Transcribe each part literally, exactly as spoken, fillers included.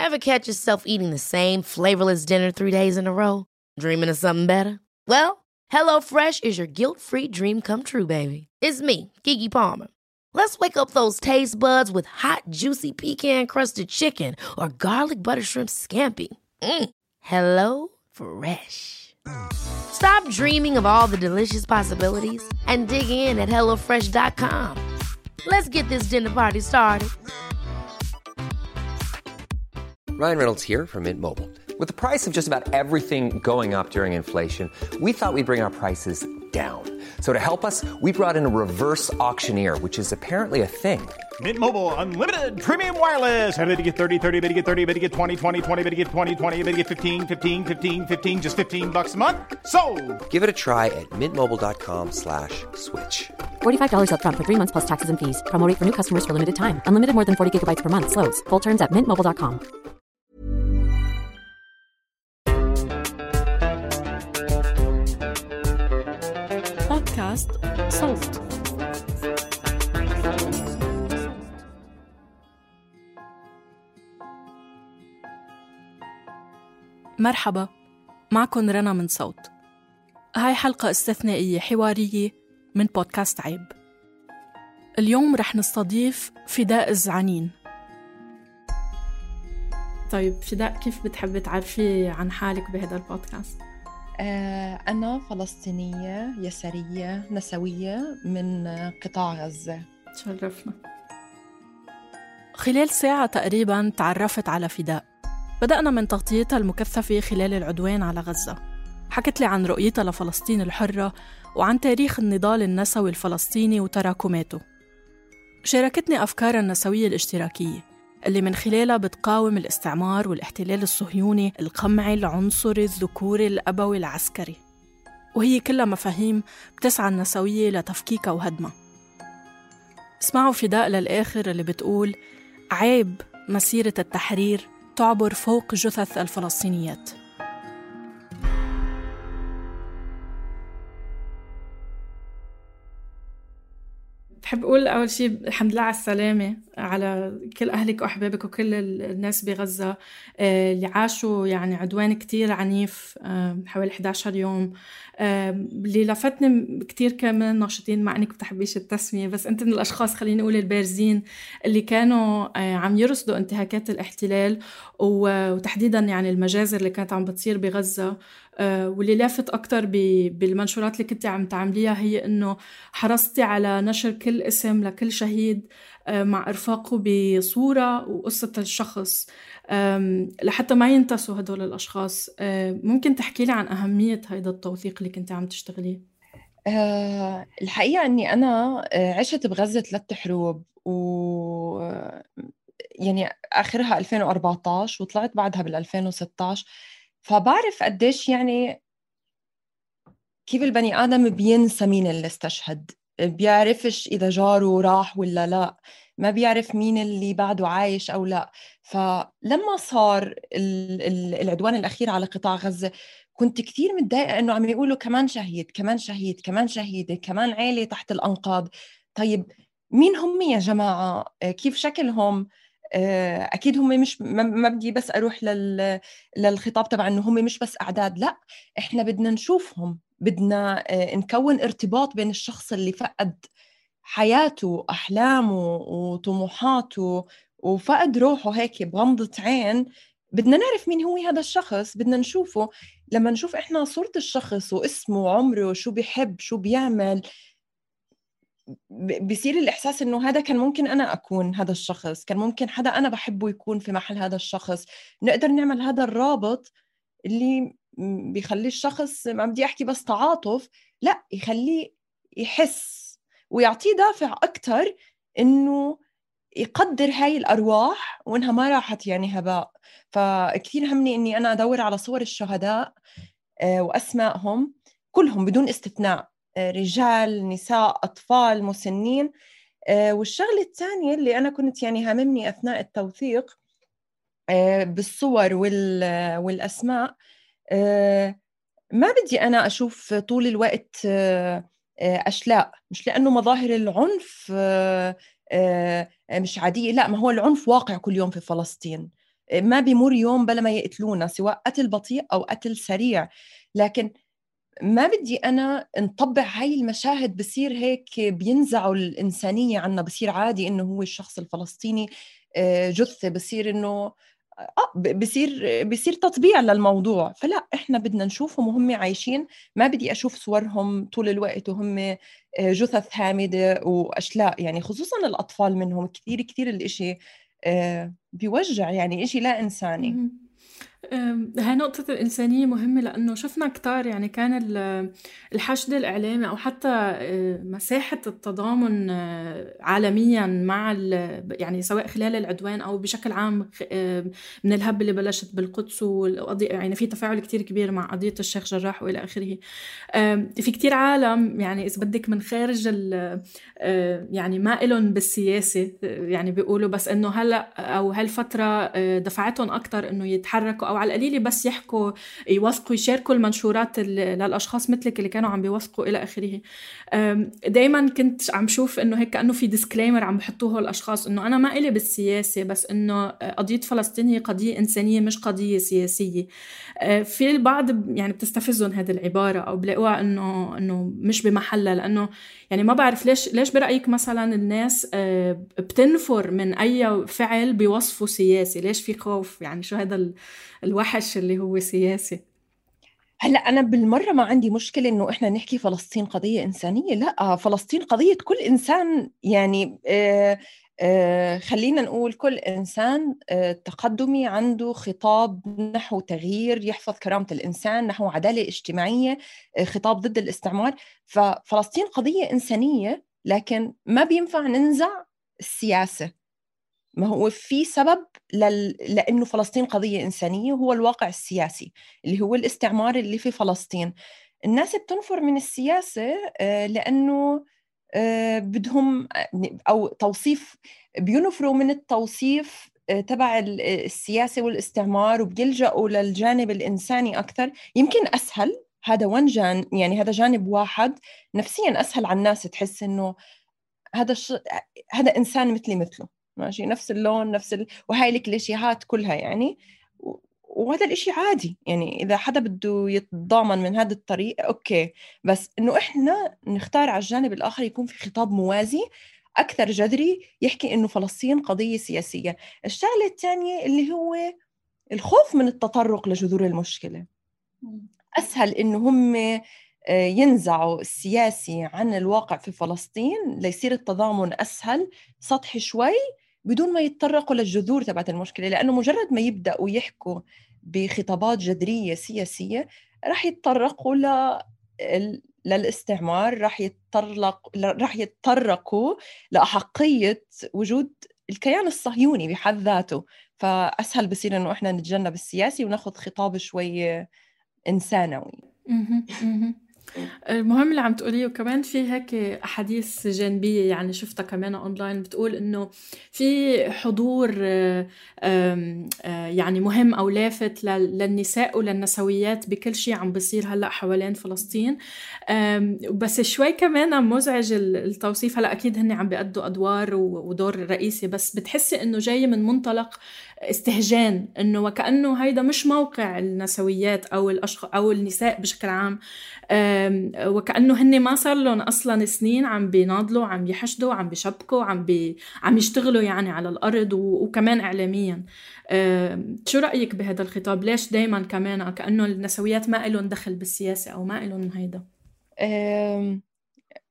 Ever catch yourself eating the same flavorless dinner three days in a row? Dreaming of something better? Well, HelloFresh is your guilt-free dream come true, baby. It's me, Keke Palmer. Let's wake up those taste buds with hot, juicy pecan-crusted chicken or garlic butter shrimp scampi. Mm. Hello Fresh. Stop dreaming of all the delicious possibilities and dig in at hello fresh dot com. Let's get this dinner party started. Ryan Reynolds here from Mint Mobile. With the price of just about everything going up during inflation, we thought we'd bring our prices down. So to help us, we brought in a reverse auctioneer, which is apparently a thing. Mint Mobile Unlimited Premium Wireless. How to get thirty, thirty, how to get thirty, how to get twenty, twenty, twenty, how to get twenty, twenty, how to get fifteen, fifteen, fifteen, fifteen, just fifteen bucks a month? Sold! Give it a try at mintmobile.com slash switch. forty-five dollars up front for three months plus taxes and fees. Promo rate for new customers for limited time. Unlimited more than forty gigabytes per month. Slows full terms at mint mobile dot com. بودكاست صوت. مرحبا، معكن رنا من صوت. هاي حلقة استثنائية حوارية من بودكاست عيب. اليوم رح نستضيف فداء الزعنين. طيب فداء، كيف بتحبي تعرفي عن حالك بهذا البودكاست؟ أنا فلسطينية يسارية نسوية من قطاع غزة. تشرفنا. خلال ساعة تقريباً تعرفت على فداء. بدأنا من تغطيتها المكثفة خلال العدوان على غزة. حكت لي عن رؤيتها لفلسطين الحرة وعن تاريخ النضال النسوي الفلسطيني وتراكماته. شاركتني أفكارها النسوية الاشتراكية اللي من خلالها بتقاوم الاستعمار والاحتلال الصهيوني القمعي العنصري الذكوري الأبوي العسكري، وهي كلها مفاهيم بتسعى النسوية لتفكيكها وهدمها. اسمعوا فداء للآخر اللي بتقول عيب مسيرة التحرير تعبر فوق جثث الفلسطينيات. بحب أقول أول شيء الحمد لله على السلامة على كل أهلك وأحبابك وكل الناس بغزة اللي عاشوا يعني عدوان كتير عنيف حوالي إحدى عشر يوم. اللي لفتني كتير كمان ناشطين، مع إنك بتحبيش التسمية، بس أنت من الأشخاص خليني أقول البارزين اللي كانوا عم يرصدوا انتهاكات الاحتلال وتحديداً يعني المجازر اللي كانت عم بتصير بغزة. واللي لافت أكتر بالمنشورات اللي كنت عم تعمليها هي إنه حرصتي على نشر كل اسم لكل شهيد مع إرفاقه بصورة وقصة الشخص لحتى ما ينتسوا هدول الأشخاص. ممكن تحكي لي عن أهمية هيدا التوثيق اللي كنت عم تشتغليه؟ أه الحقيقة أني أنا عشت بغزة ثلاث حروب، و يعني آخرها ألفين وأربعة عشر وطلعت بعدها بالألفين وستة عشر، فبعرف قديش يعني كيف البني آدم بينسى مين اللي استشهد، بيعرفش إذا جاره راح ولا لا، ما بيعرف مين اللي بعده عايش أو لا. فلما صار العدوان الأخير على قطاع غزة كنت كثير متضايقة إنه عم يقولوا كمان شهيد كمان شهيد كمان شهيدة كمان عائلة تحت الأنقاض. طيب مين هم يا جماعة؟ كيف شكلهم؟ أكيد هم مش ما بدي بس أروح لل للخطاب تبع إنه هم مش بس أعداد، لا إحنا بدنا نشوفهم، بدنا نكون ارتباط بين الشخص اللي فقد حياته أحلامه وطموحاته وفقد روحه هيك بغمضة عين. بدنا نعرف مين هو هذا الشخص، بدنا نشوفه. لما نشوف إحنا صورة الشخص واسمه وعمره شو بيحب شو بيعمل، بيصير الإحساس إنه هذا كان ممكن أنا أكون هذا الشخص، كان ممكن حدا أنا بحبه يكون في محل هذا الشخص. نقدر نعمل هذا الرابط اللي بيخلي الشخص، ما بدي أحكي بس تعاطف، لا يخليه يحس ويعطيه دافع أكتر إنه يقدر هاي الأرواح وإنها ما راحت يعني هباء. فكثير همني إني أنا أدور على صور الشهداء وأسمائهم كلهم بدون استثناء، رجال نساء أطفال مسنين. والشغلة الثانية اللي أنا كنت يعني هاممني أثناء التوثيق بالصور والأسماء، ما بدي أنا أشوف طول الوقت أشلاء، مش لأنه مظاهر العنف مش عادية، لا، ما هو العنف واقع كل يوم في فلسطين. ما بيمر يوم بلا ما يقتلونا، سواء قتل بطيء أو قتل سريع. لكن ما بدي أنا نطبع هاي المشاهد، بصير هيك بينزعوا الإنسانية عنا، بصير عادي إنه هو الشخص الفلسطيني جثة، بصير إنه آه بصير بصير تطبيع للموضوع. فلا، إحنا بدنا نشوفهم وهم عايشين. ما بدي أشوف صورهم طول الوقت وهم جثث هامدة وأشلاء، يعني خصوصاً الأطفال منهم كثير كثير الإشي بيوجع، يعني إشي لا إنساني. هاي نقطة الإنسانية مهمة، لأنه شفنا كتار يعني كان الحشد الإعلامي أو حتى مساحة التضامن عالميا مع يعني سواء خلال العدوان أو بشكل عام من الهب اللي بلشت بالقدس، والقضية يعني في تفاعل كتير كبير مع قضية الشيخ جراح وإلى آخره. في كتير عالم يعني إذا بدك من خارج يعني ما إلهم بالسياسة، يعني بيقولوا بس إنه هلأ أو هالفترة دفعتهم أكتر إنه يتحركوا أو على القليل بس يحكوا يوثقوا يشاركوا المنشورات للأشخاص مثلك اللي كانوا عم بيوثقوا إلى آخره. دايما كنت عم شوف إنه هيك كأنه في ديسكليمر عم بحطوه الأشخاص إنه أنا ما إلي بالسياسة، بس إنه قضية فلسطين هي قضية إنسانية مش قضية سياسية. في البعض يعني بتستفزهم هذه العبارة أو بلاقوها إنه إنه مش بمحلها، لأنه يعني ما بعرف ليش ليش برأيك مثلا الناس بتنفر من أي فعل بيوصفوا سياسي؟ ليش في خوف؟ يعني شو هذا الوحش اللي هو سياسي؟ هلأ أنا بالمرة ما عندي مشكلة إنه إحنا نحكي فلسطين قضية إنسانية، لا، فلسطين قضية كل إنسان. يعني آه آه خلينا نقول كل إنسان آه تقدمي عنده خطاب نحو تغيير يحفظ كرامة الإنسان، نحو عدالة اجتماعية، آه خطاب ضد الاستعمار. ففلسطين قضية إنسانية، لكن ما بينفع ننزع السياسة. ما هو في سبب لل... لأنه فلسطين قضية إنسانية، هو الواقع السياسي اللي هو الاستعمار اللي في فلسطين. الناس بتنفر من السياسة لأنه بدهم أو توصيف، بينفروا من التوصيف تبع السياسة والاستعمار، وبيلجأوا للجانب الإنساني أكثر. يمكن أسهل، هذا وان جان يعني هذا جانب واحد نفسيا أسهل على الناس، تحس إنه هذا ش... هذا إنسان مثلي مثله، ماشي، نفس اللون نفس ال... وهاي الكليشيهات كلها يعني. و... وهذا الإشي عادي، يعني إذا حدا بده يتضامن من هذا الطريق أوكي، بس إنه إحنا نختار على الجانب الآخر يكون في خطاب موازي أكثر جذري يحكي إنه فلسطين قضية سياسية. الشغلة الثانية اللي هو الخوف من التطرق لجذور المشكلة. أسهل إنه هم ينزعوا السياسي عن الواقع في فلسطين ليصير التضامن أسهل، سطحي شوي، بدون ما يتطرقوا للجذور تبعت المشكلة. لأنه مجرد ما يبدأوا يحكوا بخطابات جذرية سياسية راح يتطرقوا ل... للاستعمار، راح يتطرق راح يتطرقوا لأحقية وجود الكيان الصهيوني بحد ذاته. فأسهل بصير إنه إحنا نتجنب السياسي وناخذ خطاب شوي إنسانوي. المهم اللي عم تقوليه. وكمان في هيك أحاديث جانبية يعني شفتها كمان أونلاين بتقول إنه في حضور يعني مهم أو لافت للنساء وللنسويات بكل شيء عم بيصير هلأ حوالين فلسطين. بس شوي كمان مزعج التوصيف. هلأ أكيد هن عم بيأدوا أدوار ودور رئيسي، بس بتحسي إنه جاي من منطلق استهجان، إنه وكأنه هيدا مش موقع النسويات أو الأشخاص أو النساء بشكل عام، وكأنه هن ما صار لهم أصلاً سنين عم بيناضلوا، عم يحشدوا، عم بيشبكوا، عم بي عم يشتغلوا يعني على الأرض وكمان إعلامياً. شو رأيك بهذا الخطاب؟ ليش دايماً كمان كأنه النسويات ما إلهم دخل بالسياسة أو ما إلهم هيدا؟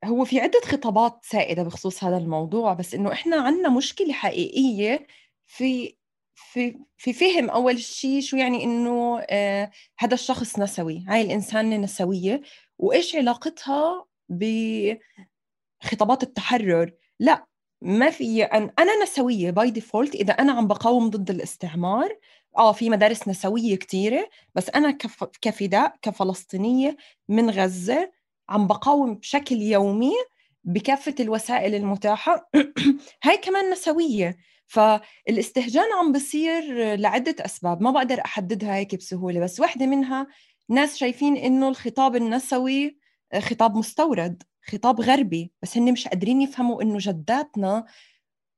هو في عدة خطابات سائدة بخصوص هذا الموضوع، بس إنه إحنا عنا مشكلة حقيقية في في في فهم أول شيء شو يعني إنه آه هذا الشخص نسوي، هاي الإنسانة نسوية، وإيش علاقتها بخطابات التحرر. لا، ما في أن أنا نسوية باي ديفولت إذا أنا عم بقاوم ضد الاستعمار. آه في مدارس نسوية كتيرة، بس أنا كف كفداء كفلسطينية من غزة عم بقاوم بشكل يومي بكافة الوسائل المتاحة. هاي كمان نسوية. فالاستهجان عم بصير لعدة أسباب ما بقدر أحددها هيك بسهولة، بس واحدة منها ناس شايفين إنه الخطاب النسوي خطاب مستورد، خطاب غربي، بس هن مش قادرين يفهموا إنه جداتنا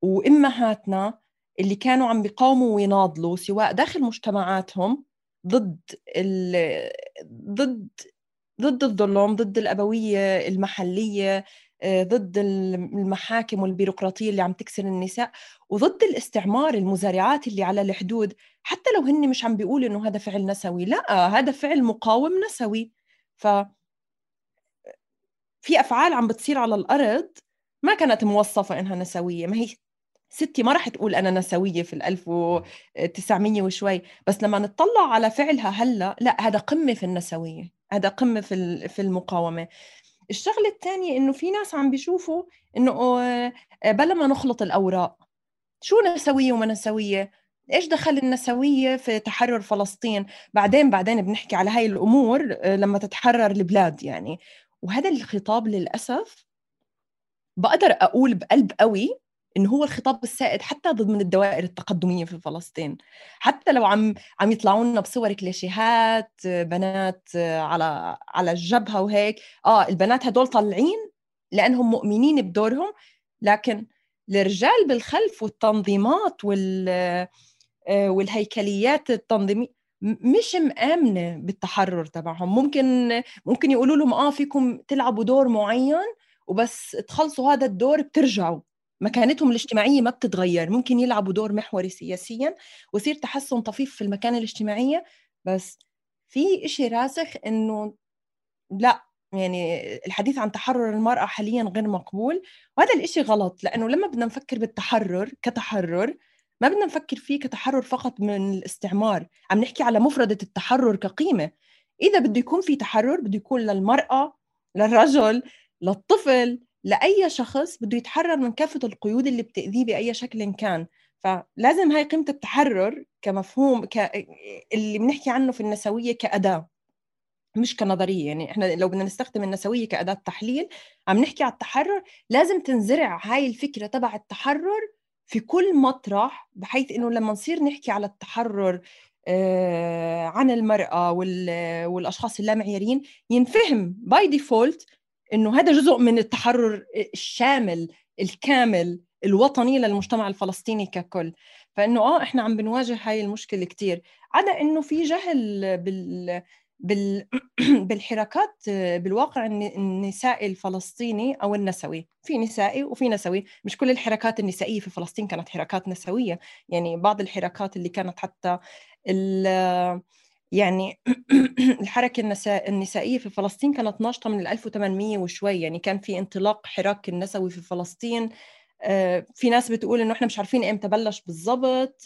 وإمهاتنا اللي كانوا عم بيقاوموا ويناضلوا سواء داخل مجتمعاتهم ضد ضد ضد الظلم، ضد الأبوية المحلية، ضد المحاكم والبيروقراطية اللي عم تكسر النساء، وضد الاستعمار، المزارعات اللي على الحدود، حتى لو هن مش عم بيقولوا إنه هذا فعل نسوي، لا هذا فعل مقاوم نسوي. ف في أفعال عم بتصير على الأرض ما كانت موصفة إنها نسوية. ما هي ستي ما رح تقول أنا نسوية في الألف وتسعمية وشوي، بس لما نتطلع على فعلها هلأ لا، هذا قمة في النسوية، هذا قمة في في المقاومة. الشغلة الثانية إنه في ناس عم بيشوفوا إنه بلا ما نخلط الأوراق، شو نسوية وما نسوية، إيش دخل النسوية في تحرر فلسطين؟ بعدين بعدين بنحكي على هاي الأمور لما تتحرر البلاد يعني. وهذا الخطاب للأسف بقدر أقول بقلب قوي إنه هو الخطاب السائد حتى ضد من الدوائر التقدمية في فلسطين، حتى لو عم عم يطلعوا لنا بصور كليشيهات بنات على على الجبهة وهيك. آه البنات هدول طالعين لأنهم مؤمنين بدورهم، لكن الرجال بالخلف والتنظيمات وال والهيكليات التنظيمية مش مآمنة بالتحرر تبعهم. ممكن ممكن يقولوا لهم آه فيكم تلعبوا دور معين وبس تخلصوا هذا الدور بترجعوا، مكانتهم الاجتماعية ما بتتغير. ممكن يلعبوا دور محوري سياسيا ويصير تحسن طفيف في المكانة الاجتماعية، بس في إشي راسخ إنه لا، يعني الحديث عن تحرر المرأة حاليا غير مقبول. وهذا الإشي غلط، لأنه لما بدنا نفكر بالتحرر كتحرر ما بدنا نفكر فيه كتحرر فقط من الاستعمار، عم نحكي على مفردة التحرر كقيمة. إذا بده يكون في تحرر بده يكون للمرأة، للرجل، للطفل، لأي شخص بده يتحرر من كافة القيود اللي بتأذيه بأي شكل كان. فلازم هاي قيمة التحرر كمفهوم ك... اللي بنحكي عنه في النسوية كأداة مش كنظرية. يعني إحنا لو بدنا نستخدم النسوية كأداة تحليل عم نحكي على التحرر، لازم تنزرع هاي الفكرة تبع التحرر في كل مطرح، بحيث إنه لما نصير نحكي على التحرر آه عن المرأة والأشخاص اللامعيارين ينفهم باي ديفولت إنه هذا جزء من التحرر الشامل الكامل الوطني للمجتمع الفلسطيني ككل. فإنه آه إحنا عم بنواجه هاي المشكلة كتير، عدا إنه في جهل بال بال... بالحركات بالواقع النسائي الفلسطيني أو النسوي. في نسائي وفي نسوي، مش كل الحركات النسائية في فلسطين كانت حركات نسوية. يعني بعض الحركات اللي كانت حتى ال... يعني الحركة النساء النسائية في فلسطين كانت ناشطة من ألف وثمانمية وشوي. يعني كان في انطلاق حراك النسوي في فلسطين. في ناس بتقول إنه إحنا مش عارفين إمتى بلش بالضبط،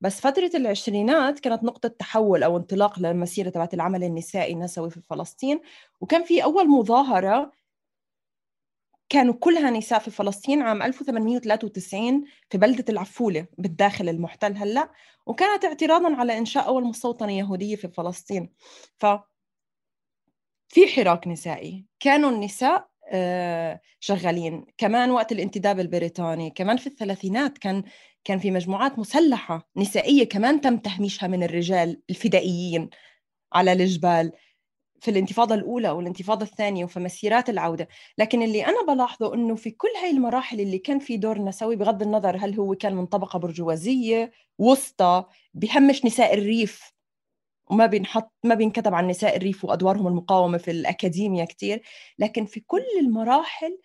بس فترة العشرينات كانت نقطة تحول أو انطلاق للمسيرة تبعت العمل النسائي النسوي في فلسطين. وكان في أول مظاهرة كانوا كلها نساء في فلسطين عام ألف وثمانمية وثلاثة وتسعين في بلدة العفولة بالداخل المحتل هلأ، وكانت اعتراضاً على إنشاء أول مستوطنة يهودية في فلسطين. ففي حراك نسائي كانوا النساء شغالين. كمان وقت الانتداب البريطاني كمان في الثلاثينات كان كان في مجموعات مسلحة نسائية كمان تم تهميشها من الرجال الفدائيين على الجبال في الانتفاضة الأولى والانتفاضة الثانية وفي مسيرات العودة. لكن اللي أنا بلاحظه إنه في كل هاي المراحل اللي كان في دور نسوي، بغض النظر هل هو كان من طبقة برجوازية وسطى بيهمش نساء الريف وما بينحط ما بينكتب عن نساء الريف وأدوارهم المقاومة في الأكاديمية كتير، لكن في كل المراحل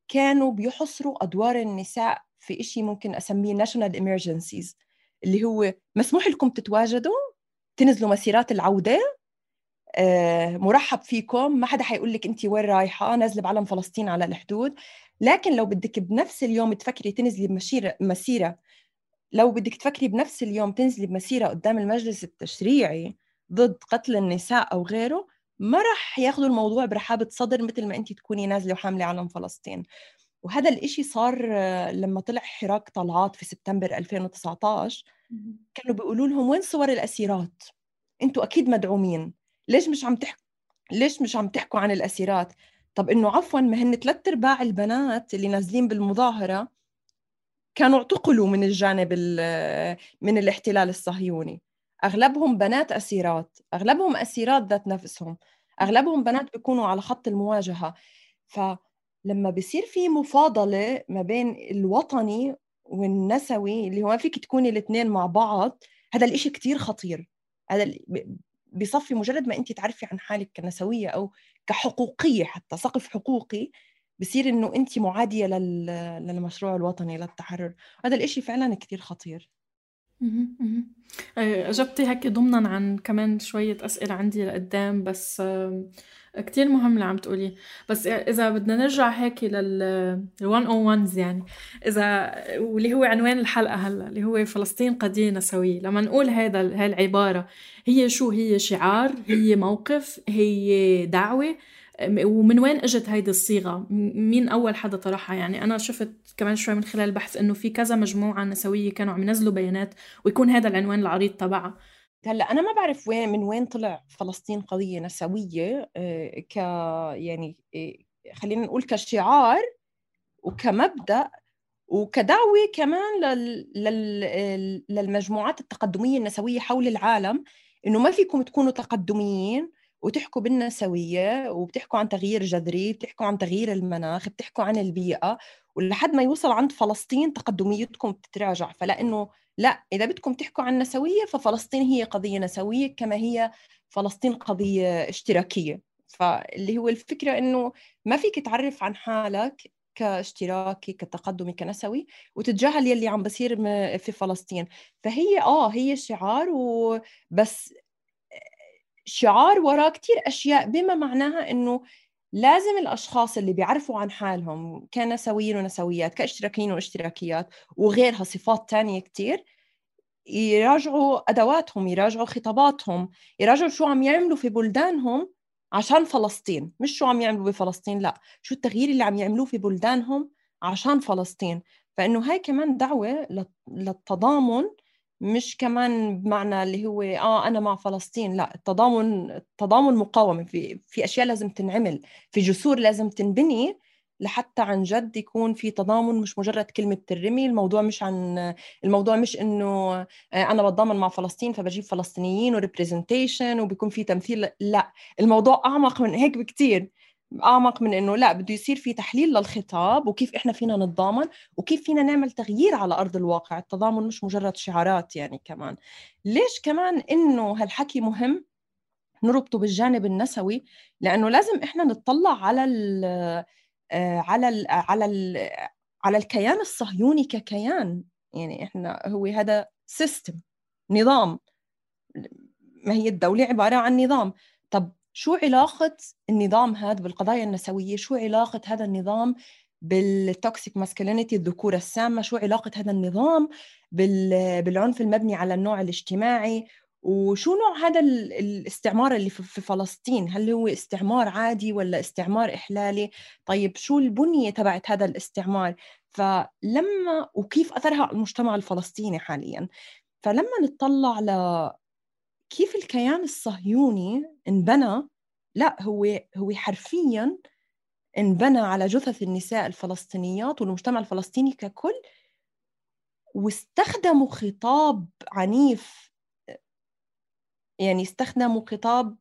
كانوا بيحصروا أدوار النساء في إشي ممكن أسميه national emergencies، اللي هو مسموح لكم تتواجدوا، تنزلوا مسيرات العودة، آه، مرحب فيكم، ما حدا حيقول لك أنت وين رايحة، نازلة بعلم فلسطين على الحدود. لكن لو بدك بنفس اليوم تفكري تنزلي بمسيرة مسيرة لو بدك تفكري بنفس اليوم تنزلي بمسيرة قدام المجلس التشريعي ضد قتل النساء أو غيره، ما رح ياخدوا الموضوع برحابة صدر مثل ما أنت تكوني نازلة وحاملة علم فلسطين. وهذا الإشي صار لما طلع حراك طلعات في سبتمبر ألفين وتسعة عشر. كانوا بيقولوا لهم وين صور الأسيرات؟ أنتوا أكيد مدعومين، ليش مش عم تحكوا ليش مش عم تحكوا عن الأسيرات؟ طب إنه عفواً ما هن ثلاث أرباع البنات اللي نازلين بالمظاهرة كانوا اعتقلوا من الجانب من الاحتلال الصهيوني. أغلبهم بنات أسيرات، أغلبهم أسيرات ذات نفسهم، أغلبهم بنات بيكونوا على خط المواجهة. فلما بيصير في مفاضلة ما بين الوطني والنسوي اللي هو ما فيك تكوني الاثنين مع بعض، هذا الإشي كتير خطير. هذا بيصفي مجرد ما أنت تعرفي عن حالك كنسوية أو كحقوقية، حتى سقف حقوقي، بصير إنه أنت معادية لل... للمشروع الوطني للتحرر. هذا الإشي فعلا كتير خطير. أجبتي هيك ضمنا عن كمان شوية أسئلة عندي لقدام، بس كتير مهم اللي عم تقولي. بس إذا بدنا نرجع هيك لل مية وواحد يعني، إذا واللي هو عنوان الحلقة هلا اللي هو فلسطين قضية نسوية، لما نقول هذا هاي العبارة، هي شو؟ هي شعار؟ هي موقف؟ هي دعوة؟ ومن وين اجت هيدي الصيغة؟ مين أول حدا طرحها؟ يعني أنا شفت كمان شوي من خلال البحث إنه في كذا مجموعة نسوية كانوا عم ينزلوا بيانات ويكون هذا العنوان العريض تبعها. هلا أنا ما بعرف وين من وين طلع فلسطين قضية نسوية ك يعني خلينا نقول كشعار وكمبدأ وكدعوة كمان لل... لل... للمجموعات التقدمية النسوية حول العالم، إنه ما فيكم تكونوا تقدميين وتحكوا بالنسوية وبتحكوا عن تغيير جذري، بتحكوا عن تغيير المناخ، بتحكوا عن البيئة، ولحد ما يوصل عند فلسطين تقدميتكم بتتراجع. فلأنه لا، إذا بدكم تحكوا عن نسوية ففلسطين هي قضية نسوية كما هي فلسطين قضية اشتراكية. فاللي هو الفكرة إنه ما فيك تعرف عن حالك كاشتراكي كتقدمي كنسوي وتتجاهل يلي عم بصير في فلسطين. فهي آه هي شعار، وبس شعار وراه كتير أشياء، بما معناها إنه لازم الأشخاص اللي بيعرفوا عن حالهم كنسويين ونسويات كاشتراكيين واشتراكيات وغيرها صفات تانية كتير، يراجعوا أدواتهم، يراجعوا خطاباتهم، يراجعوا شو عم يعملوا في بلدانهم عشان فلسطين، مش شو عم يعملوا بفلسطين، لا، شو التغيير اللي عم يعملوه في بلدانهم عشان فلسطين. فإنه هاي كمان دعوة للتضامن، مش كمان بمعنى اللي هو آه أنا مع فلسطين، لا، التضامن التضامن مقاومة. في في أشياء لازم تنعمل، في جسور لازم تنبني لحتى عن جد يكون في تضامن، مش مجرد كلمة ترمي. الموضوع مش عن الموضوع مش إنه أنا بتضامن مع فلسطين فبجيب فلسطينيين وريبريزنتيشن وبيكون في تمثيل، لا، الموضوع أعمق من هيك بكتير، أعمق من إنه لا، بده يصير في تحليل للخطاب وكيف إحنا فينا نتضامن وكيف فينا نعمل تغيير على أرض الواقع. التضامن مش مجرد شعارات. يعني كمان ليش كمان إنه هالحكي مهم نربطه بالجانب النسوي؟ لأنه لازم إحنا نتطلع على ال على ال على ال على الكيان الصهيوني ككيان. يعني إحنا هو هذا سيستم، نظام، ما هي الدولة عبارة عن نظام. طب شو علاقة النظام هذا بالقضايا النسوية؟ شو علاقة هذا النظام بالتوكسيك ماسكولينيتي، الذكورة السامة؟ شو علاقة هذا النظام بالعنف المبني على النوع الاجتماعي؟ وشو نوع هذا الاستعمار اللي في فلسطين؟ هل هو استعمار عادي ولا استعمار إحلالي؟ طيب شو البنية تبعت هذا الاستعمار؟ فلما وكيف أثرها على المجتمع الفلسطيني حاليا؟ فلما نتطلع ل كيف الكيان الصهيوني انبنى، لا، هو هو حرفيا انبنى على جثث النساء الفلسطينيات والمجتمع الفلسطيني ككل، واستخدموا خطاب عنيف. يعني استخدموا خطاب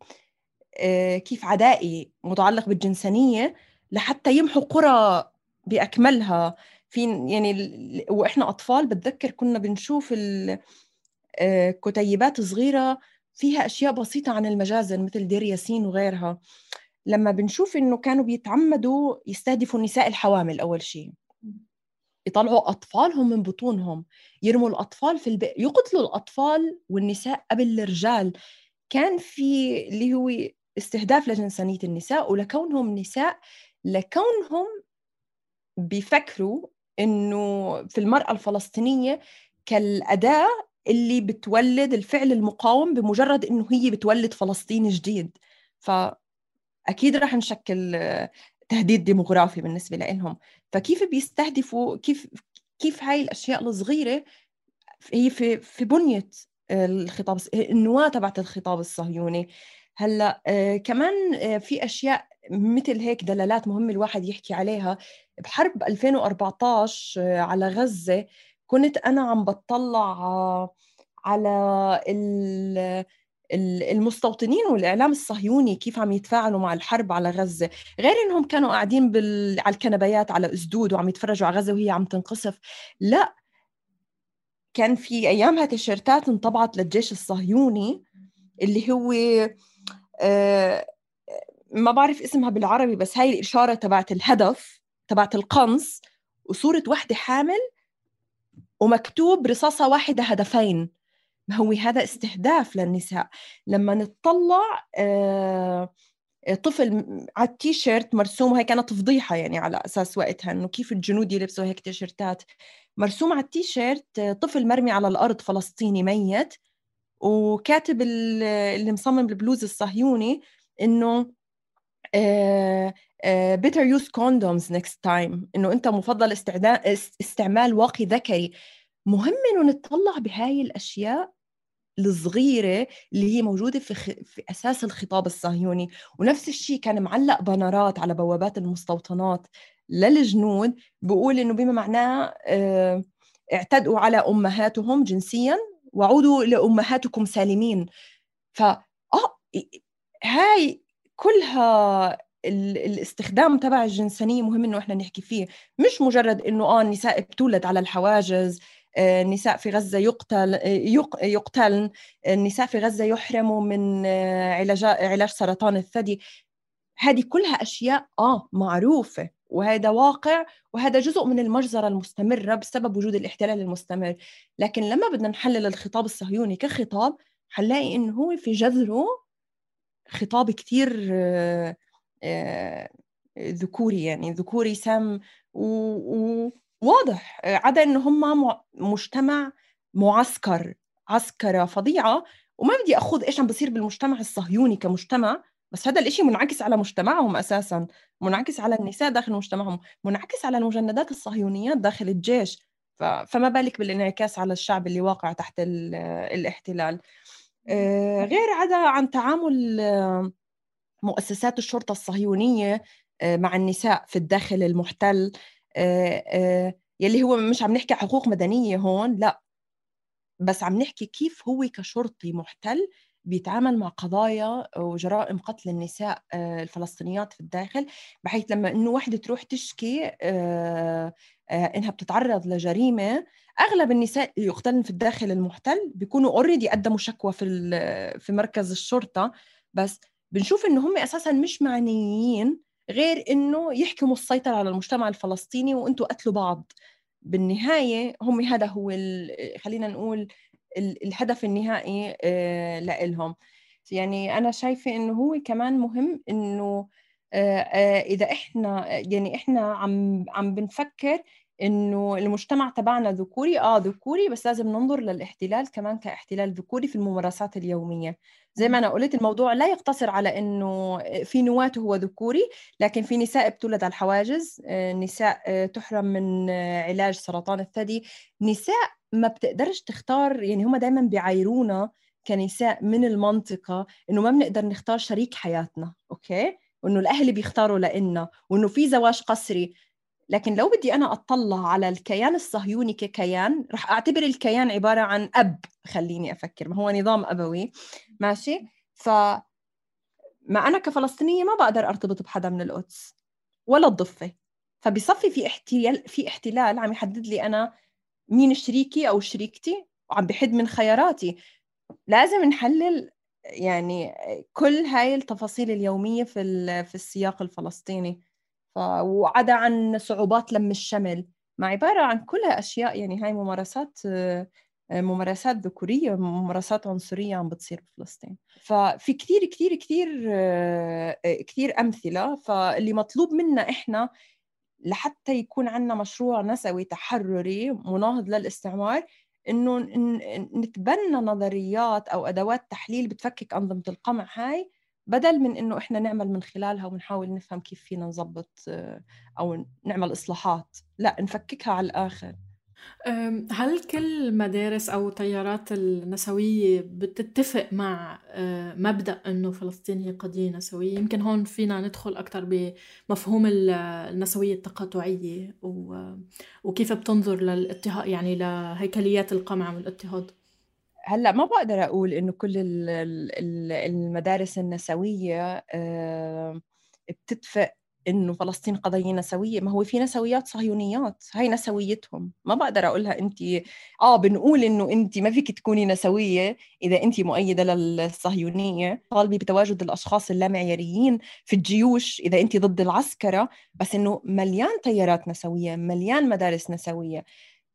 كيف عدائي متعلق بالجنسانية لحتى يمحوا قرى بأكملها. في يعني وإحنا أطفال بتذكر كنا بنشوف كتيبات صغيرة فيها أشياء بسيطة عن المجازر مثل دير ياسين وغيرها. لما بنشوف إنه كانوا بيتعمدوا يستهدفوا النساء الحوامل، أول شيء يطلعوا أطفالهم من بطونهم، يرموا الأطفال في البئر، يقتلوا الأطفال والنساء قبل الرجال. كان في اللي هو استهداف لجنسانية النساء ولكونهم نساء، لكونهم بيفكروا إنه في المرأة الفلسطينية كالأداة اللي بتولد الفعل المقاوم بمجرد إنه هي بتولد فلسطين جديد. فأكيد رح نشكل تهديد ديموغرافي بالنسبة لهم. فكيف بيستهدفوا، كيف كيف هاي الأشياء الصغيرة هي في في بنية الخطاب، النواة تبعت الخطاب الصهيوني. هلا آه كمان آه في أشياء مثل هيك دلالات مهمة الواحد يحكي عليها. بحرب ألفين وأربعتاشر آه على غزة كنت أنا عم بتطلع آه على المستوطنين والإعلام الصهيوني كيف عم يتفاعلوا مع الحرب على غزة، غير إنهم كانوا قاعدين بال... على الكنبيات على أسدود وعم يتفرجوا على غزة وهي عم تنقصف. لا، كان في أيامها تيشيرتات انطبعت للجيش الصهيوني اللي هو آه ما بعرف اسمها بالعربي، بس هاي الإشارة تبعت الهدف تبعت القنص وصورة واحدة حامل ومكتوب رصاصة واحدة هدفين. ما هو هذا استهداف للنساء. لما نتطلع آه طفل على التيشيرت مرسوم، وهي كانت فضيحة يعني على أساس وقتها إنه كيف الجنود يلبسوا هيك تيشيرتات، مرسوم على التيشيرت طفل مرمي على الأرض فلسطيني ميت، وكاتب اللي مصمم البلوز الصهيوني إنه Uh, uh, better use condoms next time، إنه أنت مفضل استعمال واقي ذكري. مهم إنه نتطلع بهاي الأشياء الصغيرة اللي هي موجودة في, خ... في أساس الخطاب الصهيوني. ونفس الشيء كان معلق بانرات على بوابات المستوطنات للجنود بقول إنه بما معناه uh, اعتدوا على أمهاتهم جنسياً وعودوا لأمهاتكم سالمين. ف آه هاي كلها الاستخدام تبع الجنسانية مهم إنه إحنا نحكي فيه، مش مجرد إنه آه النساء بتولد على الحواجز، النساء في غزة يقتل يقتلن، النساء في غزة يحرموا من علاج علاج سرطان الثدي. هذه كلها أشياء آه معروفة، وهذا واقع، وهذا جزء من المجزرة المستمرة بسبب وجود الاحتلال المستمر. لكن لما بدنا نحلل الخطاب الصهيوني كخطاب حنلاقي إنه هو في جذره خطاب كتير آه آه ذكوري، يعني ذكوري سام وواضح، عدا إنه هم مجتمع معسكر، عسكرة فظيعة. وما بدي أخذ إيش عم بصير بالمجتمع الصهيوني كمجتمع، بس هذا الإشي منعكس على مجتمعهم أساساً، منعكس على النساء داخل مجتمعهم، منعكس على المجندات الصهيونيات داخل الجيش، فما بالك بالانعكاس على الشعب اللي واقع تحت الاحتلال. غير عدا عن تعامل مؤسسات الشرطة الصهيونية مع النساء في الداخل المحتل، يلي هو مش عم نحكي حقوق مدنية هون، لا، بس عم نحكي كيف هو كشرطي محتل بيتعامل مع قضايا وجرائم قتل النساء الفلسطينيات في الداخل، بحيث لما إنه واحدة تروح تشكي إنها بتتعرض لجريمة، أغلب النساء يقتلن في الداخل المحتل بيكونوا أوريدي قدموا شكوى في في مركز الشرطة، بس بنشوف إنه هم أساساً مش معنيين غير إنه يحكموا السيطرة على المجتمع الفلسطيني وإنتوا قتلوا بعض. بالنهاية هم هذا هو خلينا نقول الهدف النهائي لإلهم. يعني أنا شايفة إنه هو كمان مهم إنه إذا إحنا يعني إحنا عم عم بنفكر إنه المجتمع تبعنا ذكوري، آه ذكوري، بس لازم ننظر للاحتلال كمان كاحتلال ذكوري في الممارسات اليومية. زي ما أنا قلت، الموضوع لا يقتصر على إنه في نواته هو ذكوري، لكن في نساء بتولد على الحواجز، نساء تحرم من علاج سرطان الثدي، نساء ما بتقدرش تختار، يعني هم دايما بيعايرونا كنساء من المنطقة إنه ما بنقدر نختار شريك حياتنا، أوكي، وإنه الأهل بيختاروا لإلنا، وإنه في زواج قسري. لكن لو بدي أنا أطلع على الكيان الصهيوني ككيان، رح أعتبر الكيان عبارة عن أب، خليني أفكر، ما هو نظام أبوي، ماشي؟ فما أنا كفلسطينية ما بقدر أرتبط بحدا من القدس ولا الضفة، فبصفي في احتلال في احتلال عم يحدد لي أنا مين شريكي أو شريكتي، وعم بحد من خياراتي. لازم نحلل يعني كل هاي التفاصيل اليومية في في السياق الفلسطيني، وعدا عن صعوبات لم الشمل، مع عبارة عن كلها أشياء، يعني هاي ممارسات ممارسات ذكورية، ممارسات عنصرية عم بتصير بفلسطين. ففي كتير كتير كتير كتير أمثلة. فاللي مطلوب منا إحنا لحتى يكون عنا مشروع نسوي تحرري مناهض للاستعمار، إنه نتبنى نظريات أو أدوات تحليل بتفكك أنظمة القمع هاي، بدل من إنه إحنا نعمل من خلالها ونحاول نفهم كيف فينا نضبط أو نعمل إصلاحات، لا، نفككها على الآخر. هل كل مدارس أو تيارات النسوية بتتفق مع مبدأ إنه فلسطين هي قضية نسوية؟ يمكن هون فينا ندخل أكتر بمفهوم النسوية التقاطعية وكيف بتنظر للاضطهاد، يعني لهيكليات القمع والاضطهاد. هلأ ما بقدر أقول إنه كل المدارس النسوية بتتفق إنه فلسطين قضية نسوية. ما هو في نسويات صهيونيات، هاي نسويتهم، ما بقدر أقولها أنت آه بنقول إنه أنت ما فيك تكوني نسوية إذا أنت مؤيدة للصهيونية، طالبي بتواجد الأشخاص اللامعياريين في الجيوش إذا أنت ضد العسكرة، بس إنه مليان تيارات نسوية، مليان مدارس نسوية.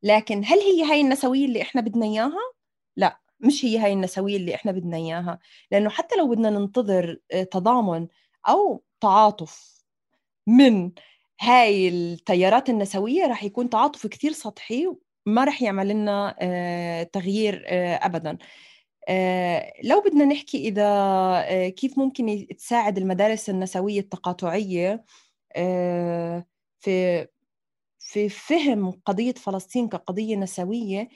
لكن هل هي هاي النسوية اللي إحنا بدنا إياها؟ لا، مش هي هاي النسوية اللي إحنا بدنا إياها. لأنه حتى لو بدنا ننتظر تضامن أو تعاطف من هاي التيارات النسوية، رح يكون تعاطف كتير سطحي، ما رح يعمل لنا آه تغيير آه أبداً. آه لو بدنا نحكي إذا آه كيف ممكن تساعد المدارس النسوية التقاطعية آه في في فهم قضية فلسطين كقضية نسوية،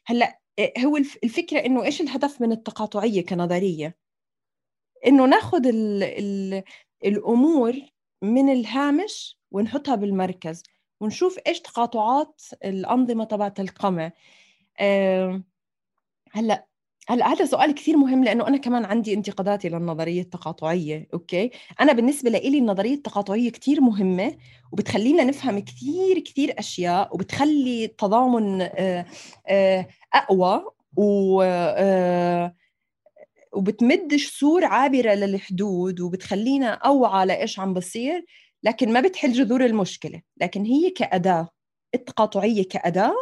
هلأ هو الفكرة إنه إيش الهدف من التقاطعية كنظرية؟ إنه ناخد ال ال الأمور من الهامش ونحطها بالمركز ونشوف إيش تقاطعات الأنظمة تبعت القمع. أه هلأ هلأ هذا سؤال كثير مهم، لأنه أنا كمان عندي انتقاداتي للنظرية التقاطعية. أوكي، أنا بالنسبة لي النظرية التقاطعية كثير مهمة، وبتخلينا نفهم كثير كثير أشياء، وبتخلي التضامن أه أه أقوى و أه وبتمد جسور عابرة للحدود، وبتخلينا أوعى لإيش عم بصير، لكن ما بتحل جذور المشكلة. لكن هي كأداة، التقاطعية كأداة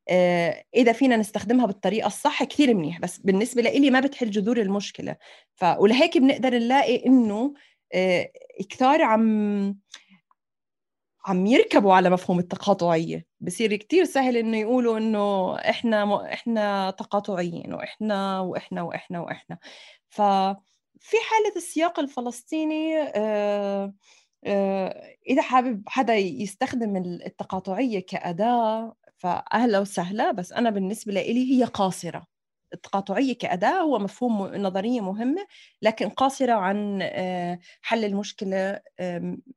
آه، إذا فينا نستخدمها بالطريقة الصح كثير منيح، بس بالنسبة لي ما بتحل جذور المشكلة. ولهيك بنقدر نلاقي إنه آه، كثار عم عم يركبوا على مفهوم التقاطعية. بصير كتير سهل إنه يقولوا إنه إحنا م... إحنا تقاطعيين وإحنا وإحنا وإحنا وإحنا. ففي حالة السياق الفلسطيني آه آه إذا حابب حدا يستخدم التقاطعية كأداة فأهلا وسهلا، بس أنا بالنسبة لي هي قاصرة. التقاطعية كأداة هو مفهوم نظرية مهمة، لكن قاصرة عن حل المشكلة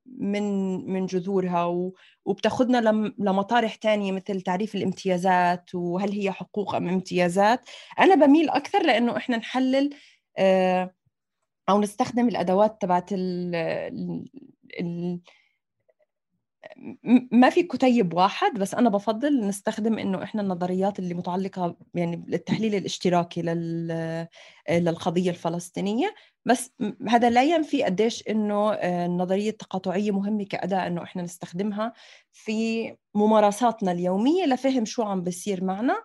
من من جذورها، وبتاخدنا لمطارح تانية مثل تعريف الامتيازات، وهل هي حقوق أم امتيازات. أنا بميل أكثر لأنه إحنا نحلل أو نستخدم الأدوات تبعت ال ال ما في كتيب واحد، بس أنا بفضل نستخدم إنه إحنا النظريات اللي متعلقة يعني التحليل الاشتراكي للقضية الفلسطينية. بس هذا لا ينفي قديش إنه النظرية التقاطعية مهمة كأداة إنه إحنا نستخدمها في ممارساتنا اليومية لفهم شو عم بيصير معنا.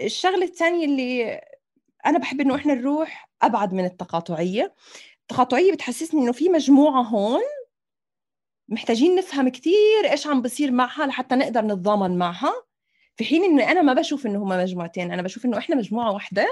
الشغلة الثانية اللي أنا بحب إنه إحنا نروح أبعد من التقاطعية. التقاطعية بتحسسني إنه في مجموعة هون محتاجين نفهم كتير إيش عم بصير معها لحتى نقدر نتضامن معها، في حين إنه أنا ما بشوف إنه هما مجموعتين، أنا بشوف إنه إحنا مجموعة واحدة،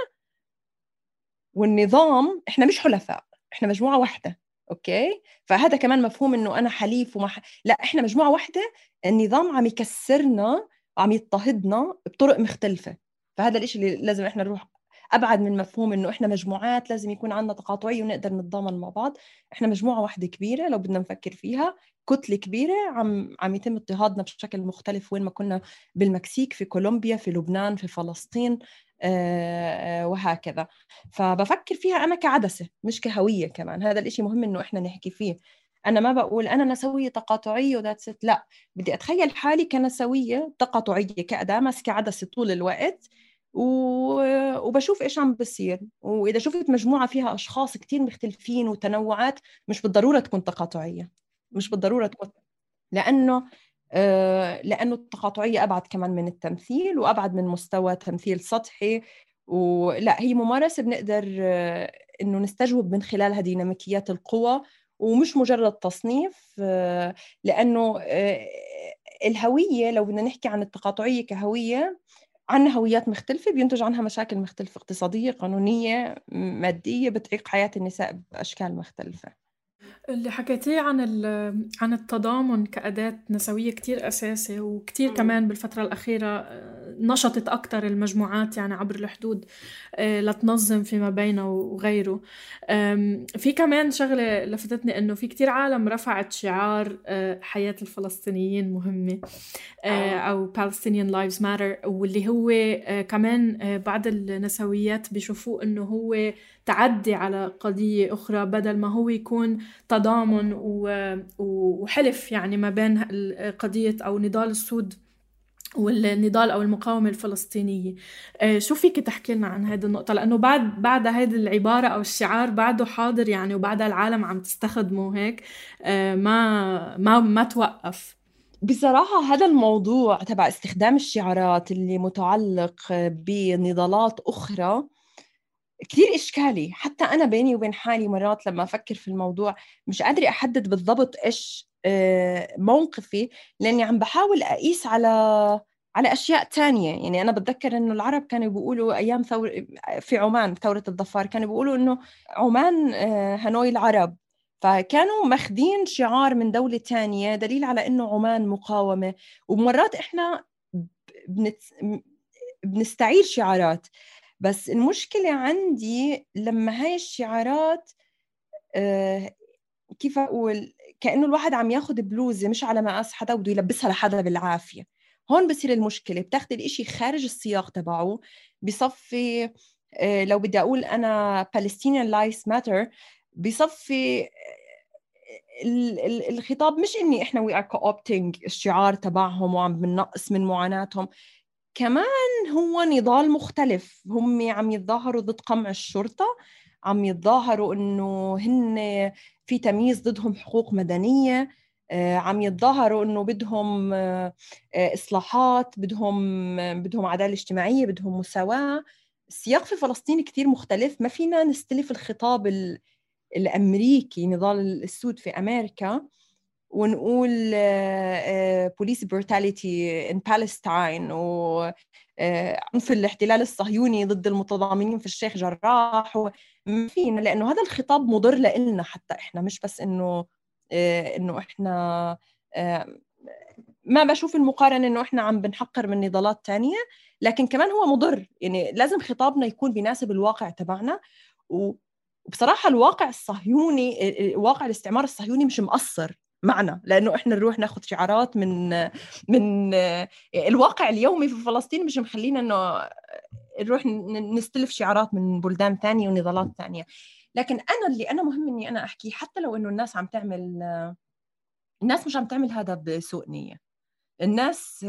والنظام إحنا مش حلفاء، إحنا مجموعة واحدة. أوكي، فهذا كمان مفهوم إنه أنا حليف وما ح... لا، إحنا مجموعة واحدة، النظام عم يكسرنا وعم يضطهدنا بطرق مختلفة. فهذا الإشي اللي لازم إحنا نروح أبعد من مفهوم إنه إحنا مجموعات لازم يكون عندنا تقاطعية ونقدر نتضامن مع بعض. إحنا مجموعة واحدة كبيرة لو بدنا نفكر فيها، كتلة كبيرة عم عم يتم اضطهادنا بشكل مختلف، وين ما كنا، بالمكسيك، في كولومبيا، في لبنان، في فلسطين، آه وهكذا. فبفكر فيها أنا كعدسة مش كهوية. كمان هذا الإشي مهم إنه إحنا نحكي فيه. أنا ما بقول أنا نسوية تقاطعية وذات ست، لا، بدي أتخيل حالي كنسوية تقاطعية كأداة ماسكة عدسة طول الوقت، وبشوف إيش عم بصير. وإذا شفت مجموعة فيها أشخاص كتير مختلفين وتنوعات، مش بالضرورة تكون تقاطعية، مش بالضرورة تكون، لأنه آه لأنه التقاطعية أبعد كمان من التمثيل، وأبعد من مستوى تمثيل سطحي. ولا هي ممارسة بنقدر آه إنه نستجوب من خلالها ديناميكيات القوى، ومش مجرد تصنيف. آه لأنه آه الهوية، لو بدنا نحكي عن التقاطعية كهوية، عنا هويات مختلفة بينتج عنها مشاكل مختلفة، اقتصادية، قانونية، مادية، بتعيق حياة النساء بأشكال مختلفة. اللي حكيتيه عن عن التضامن كأداة نسوية كتير أساسي، وكتير كمان بالفترة الأخيرة نشطت أكتر المجموعات يعني عبر الحدود لتنظم فيما بينه وغيره. في كمان شغلة لفتتني إنه في كتير عالم رفعت شعار حياة الفلسطينيين مهمة أو Palestinian Lives Matter، واللي هو كمان بعض النسويات بيشوفوه إنه هو تعدي على قضية أخرى بدل ما هو يكون تضامن وحلف يعني ما بين قضية أو نضال السود والنضال أو المقاومة الفلسطينية. شو فيك تحكي لنا عن هذه النقطة؟ لأنه بعد بعد هذه العبارة أو الشعار بعده حاضر يعني، وبعد العالم عم تستخدمه هيك ما ما ما توقف. بصراحة هذا الموضوع تبع استخدام الشعارات اللي متعلق بنضالات أخرى كتير إشكالي. حتى أنا بيني وبين حالي مرات لما أفكر في الموضوع مش قادرة أحدد بالضبط إيش موقفي، لأني عم بحاول أقيس على على أشياء تانية. يعني أنا بتذكر إنه العرب كانوا بيقولوا أيام ثور في عمان ثورة الظفار، كانوا بيقولوا إنه عمان هنوي العرب، فكانوا مخدين شعار من دولة تانية دليل على إنه عمان مقاومة. ومرات إحنا بنت... بنستعير شعارات، بس المشكلة عندي لما هاي الشعارات آه كيف أقول، كأنه الواحد عم ياخد بلوزة مش على مقاس حدا وبده يلبسها لحدا بالعافية. هون بصير المشكلة، بتاخد الاشي خارج السياق تبعه. بصفي آه لو بدي أقول أنا Palestinian Lives Matter، بصفي الخطاب مش إني إحنا we are co-opting الشعار تبعهم وعم بنقص من معاناتهم، كمان هو نضال مختلف. هم عم يتظاهروا ضد قمع الشرطة، عم يتظاهروا إنه هن في تمييز ضدهم حقوق مدنية، عم يتظاهروا إنه بدهم إصلاحات، بدهم بدهم عدالة اجتماعية، بدهم مساواة. السياق في فلسطين كتير مختلف. ما فينا نستلف الخطاب الأمريكي نضال السود في أمريكا ونقول police brutality in Palestine وعنف الاحتلال الصهيوني ضد المتضامنين في الشيخ جراح. وما فينا، لأنه هذا الخطاب مضر لنا حتى إحنا، مش بس إنه إنه إحنا ما بشوف المقارنة إنه إحنا عم بنحقر من نضالات تانية، لكن كمان هو مضر. يعني لازم خطابنا يكون بيناسب الواقع تبعنا. وبصراحة الواقع الصهيوني، واقع الاستعمار الصهيوني مش مقصر معنا، لأنه إحنا نروح ناخد شعارات من من الواقع اليومي في فلسطين، مش مخلينا إنه نروح نستلف شعارات من بلدان ثانية ونضالات ثانية. لكن أنا اللي أنا مهم إني أنا أحكي، حتى لو إنه الناس عم تعمل الناس مش عم تعمل هذا بسوء نية. الناس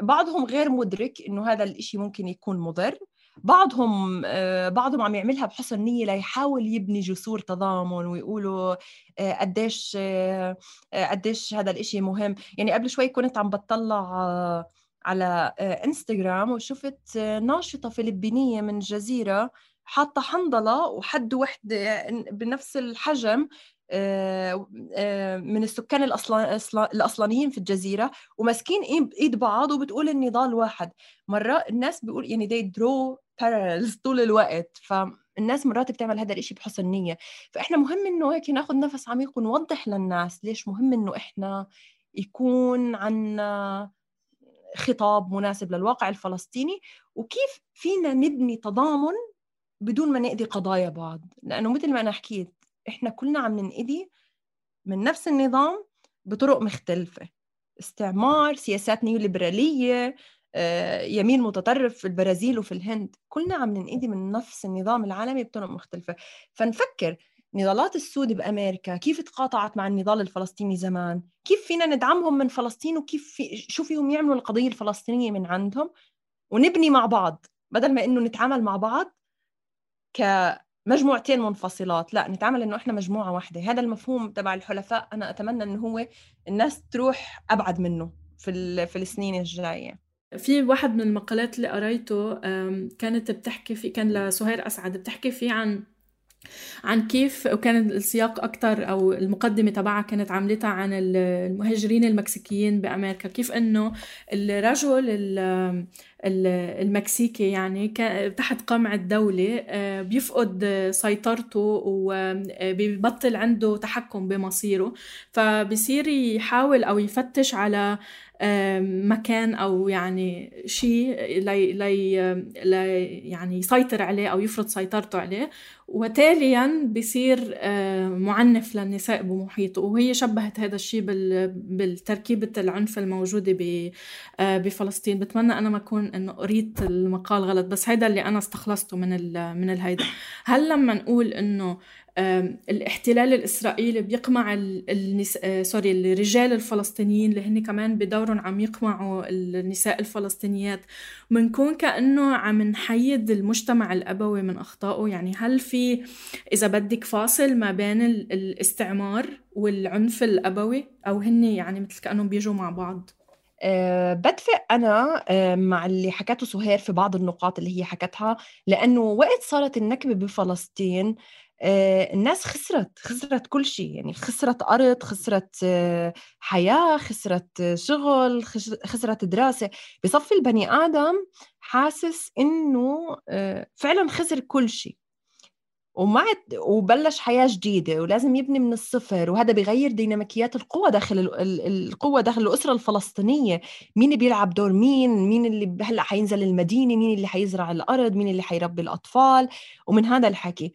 بعضهم غير مدرك إنه هذا الإشي ممكن يكون مضر، بعضهم بعضهم عم يعملها بحسن نية ليحاول يبني جسور تضامن ويقولوا قديش قديش هذا الإشي مهم. يعني قبل شوي كنت عم بطلع على انستغرام وشفت ناشطة فلبينية من الجزيرة حاطة حنظلة وحد وحدة بنفس الحجم من السكان الأصلانيين في الجزيرة، وماسكين إيد بعض وبتقول النضال واحد. مرة الناس بيقول يعني they draw parallels طول الوقت، فالناس مرات بتعمل هذا الإشي بحسن نية. فإحنا مهم إنه هيك ناخد نفس عميق ونوضح للناس ليش مهم إنه إحنا يكون عنا خطاب مناسب للواقع الفلسطيني، وكيف فينا نبني تضامن بدون ما نأذي قضايا بعض. لأنه مثل ما أنا حكيت إحنا كلنا عم ننأذي من نفس النظام بطرق مختلفة. استعمار، سياسات نيوليبرالية، يمين متطرف في البرازيل وفي الهند، كلنا عم ننأذي من نفس النظام العالمي بطرق مختلفة. فنفكر نضالات السود بأمريكا كيف تقاطعت مع النضال الفلسطيني زمان، كيف فينا ندعمهم من فلسطين، وكيف في شو فيهم يعملوا القضية الفلسطينية من عندهم، ونبني مع بعض بدل ما إنه نتعامل مع بعض كمجموعتين منفصلات. لا، نتعامل إنه إحنا مجموعة واحدة. هذا المفهوم تبع الحلفاء أنا أتمنى إنه هو الناس تروح أبعد منه في في السنين الجاية. في واحد من المقالات اللي قريته كانت بتحكي في كان لسهير أسعد بتحكي فيه عن عن كيف، وكان السياق أكتر أو المقدمة تبعها كانت عاملتها عن المهاجرين المكسيكيين بأمريكا، كيف إنه الرجل المكسيكي يعني تحت قمع الدولة بيفقد سيطرته وبيبطل عنده تحكم بمصيره، فبصير يحاول أو يفتش على مكان أو يعني شيء لي لي لي يعني يسيطر عليه أو يفرض سيطرته عليه، وتالياً بيصير معنف للنساء بمحيطه. وهي شبهت هذا الشيء بالتركيبة العنف الموجودة بفلسطين. بتمنى أنا ما أكون إنه قريت المقال غلط، بس هذا اللي أنا استخلصته من ال من الهيدا. هل لما نقول إنه الاحتلال الإسرائيلي بيقمع النساء سوري الرجال الفلسطينيين اللي هن كمان بدورهم عم يقمعوا النساء الفلسطينيات، منكون كأنه عم نحيد المجتمع الأبوي من أخطائه؟ يعني هل في إذا بدك فاصل ما بين الاستعمار والعنف الأبوي، أو هن يعني مثل كأنهم بيجوا مع بعض؟ أه بدفق أنا أه مع اللي حكته سهير في بعض النقاط اللي هي حكتها، لأنه وقت صارت النكبة بفلسطين أه الناس خسرت خسرت كل شيء، يعني خسرت أرض، خسرت أه حياة، خسرت شغل، خسرت دراسة. بصفي البني آدم حاسس إنه أه فعلا خسر كل شيء، ومعت وبلش حياة جديدة ولازم يبني من الصفر، وهذا بيغير ديناميكيات القوة داخل القوة داخل الأسرة الفلسطينية. مين بيلعب دور مين، مين اللي هلأ حينزل المدينة، مين اللي حيزرع الأرض، مين اللي حيربي الأطفال، ومن هذا الحكي.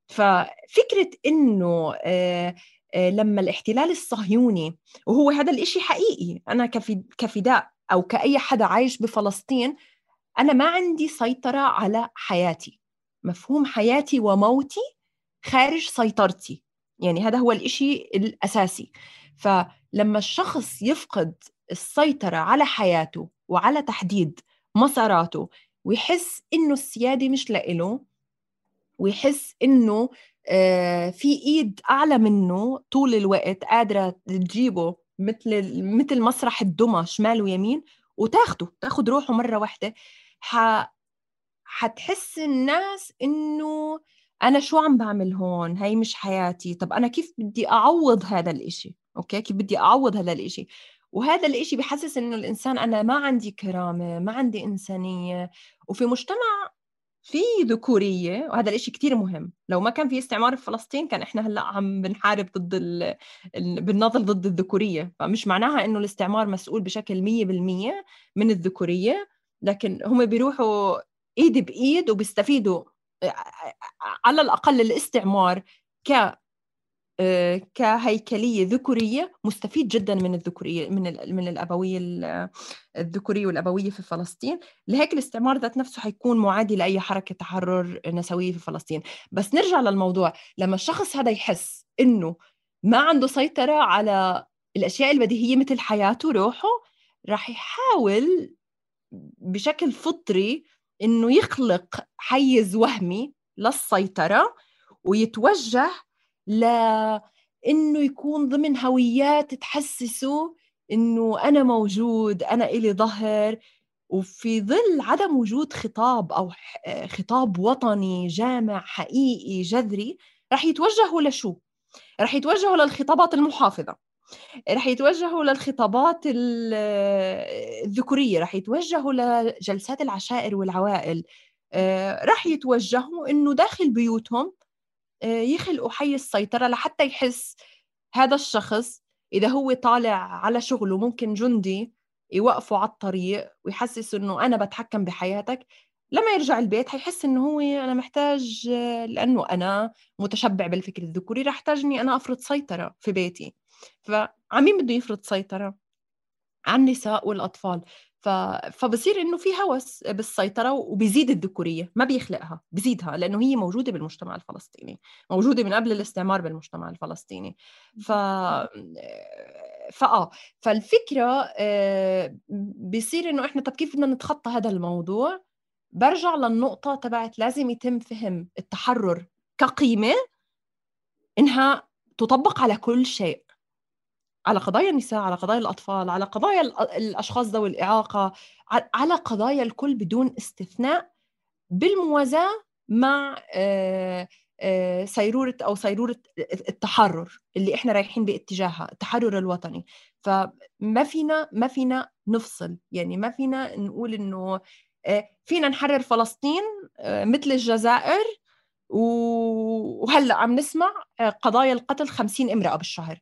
ففكرة إنه آه آه لما الاحتلال الصهيوني، وهو هذا الإشي حقيقي، أنا كفداء أو كأي حدا عايش بفلسطين، أنا ما عندي سيطرة على حياتي، مفهوم حياتي وموتي خارج سيطرتي، يعني هذا هو الإشي الأساسي. فلما الشخص يفقد السيطرة على حياته وعلى تحديد مساراته، ويحس إنه السيادة مش لإله، ويحس إنه آه في إيد أعلى منه طول الوقت قادرة تجيبه مثل مثل مسرح الدمى شمال ويمين وتاخده تاخد روحه مرة واحدة، ح... حتحس الناس إنه أنا شو عم بعمل هون، هاي مش حياتي، طب أنا كيف بدي أعوض هذا الإشي؟ أوكي، كيف بدي أعوض هذا الإشي؟ وهذا الإشي بيحسس إنه الإنسان أنا ما عندي كرامة، ما عندي إنسانية. وفي مجتمع في ذكورية، وهذا الإشي كتير مهم. لو ما كان في استعمار في فلسطين كان إحنا هلأ عم بنحارب ضد ال... بنناضل ضد الذكورية. فمش معناها إنه الاستعمار مسؤول بشكل مية بالمية من الذكورية، لكن هم بيروحوا إيد بإيد وبيستفيدوا على الأقل الاستعمار ك كهيكلية ذكورية مستفيد جدا من الذكورية، من من الأبوية الذكورية والأبوية في فلسطين. لهيك الاستعمار ذات نفسه حيكون معادي لأي حركة تحرر نسوية في فلسطين. بس نرجع للموضوع، لما الشخص هذا يحس إنه ما عنده سيطرة على الأشياء البديهية مثل حياته روحه، راح يحاول بشكل فطري إنه يخلق حيز وهمي للسيطرة، ويتوجه لإنه يكون ضمن هويات تحسسه إنه أنا موجود، أنا إلي ظهر. وفي ظل عدم وجود خطاب أو خطاب وطني جامع حقيقي جذري، رح يتوجهوا لشو؟ رح يتوجهوا للخطابات المحافظة، رح يتوجهوا للخطابات الذكورية، رح يتوجهوا لجلسات العشائر والعوائل، رح يتوجهوا إنه داخل بيوتهم يخلقوا حي السيطرة، لحتى يحس هذا الشخص إذا هو طالع على شغله ممكن جندي يوقفوا على الطريق ويحسس إنه أنا بتحكم بحياتك. لما يرجع البيت هيحس إنه هو أنا محتاج، لأنه أنا متشبع بالفكر الذكوري، رح احتاجني أنا أفرض سيطرة في بيتي. فعمين بده يفرض سيطرة عن النساء والأطفال، ف... فبصير إنه في هوس بالسيطرة، وبيزيد الذكورية، ما بيخلقها، بيزيدها، لأنه هي موجودة بالمجتمع الفلسطيني، موجودة من قبل الاستعمار بالمجتمع الفلسطيني. ف... فآه فالفكرة بيصير إنه إحنا طب كيف بدنا نتخطى هذا الموضوع؟ برجع للنقطة تبعت لازم يتم فهم التحرر كقيمة إنها تطبق على كل شيء، على قضايا النساء، على قضايا الأطفال، على قضايا الأشخاص ذوي الإعاقة، على قضايا الكل بدون استثناء، بالموازاة مع سيرورة أو سيرورة التحرر اللي إحنا رايحين باتجاهها، التحرر الوطني. فما فينا ما فينا نفصل، يعني ما فينا نقول إنه فينا نحرر فلسطين مثل الجزائر وهلأ عم نسمع قضايا القتل خمسين امرأة بالشهر.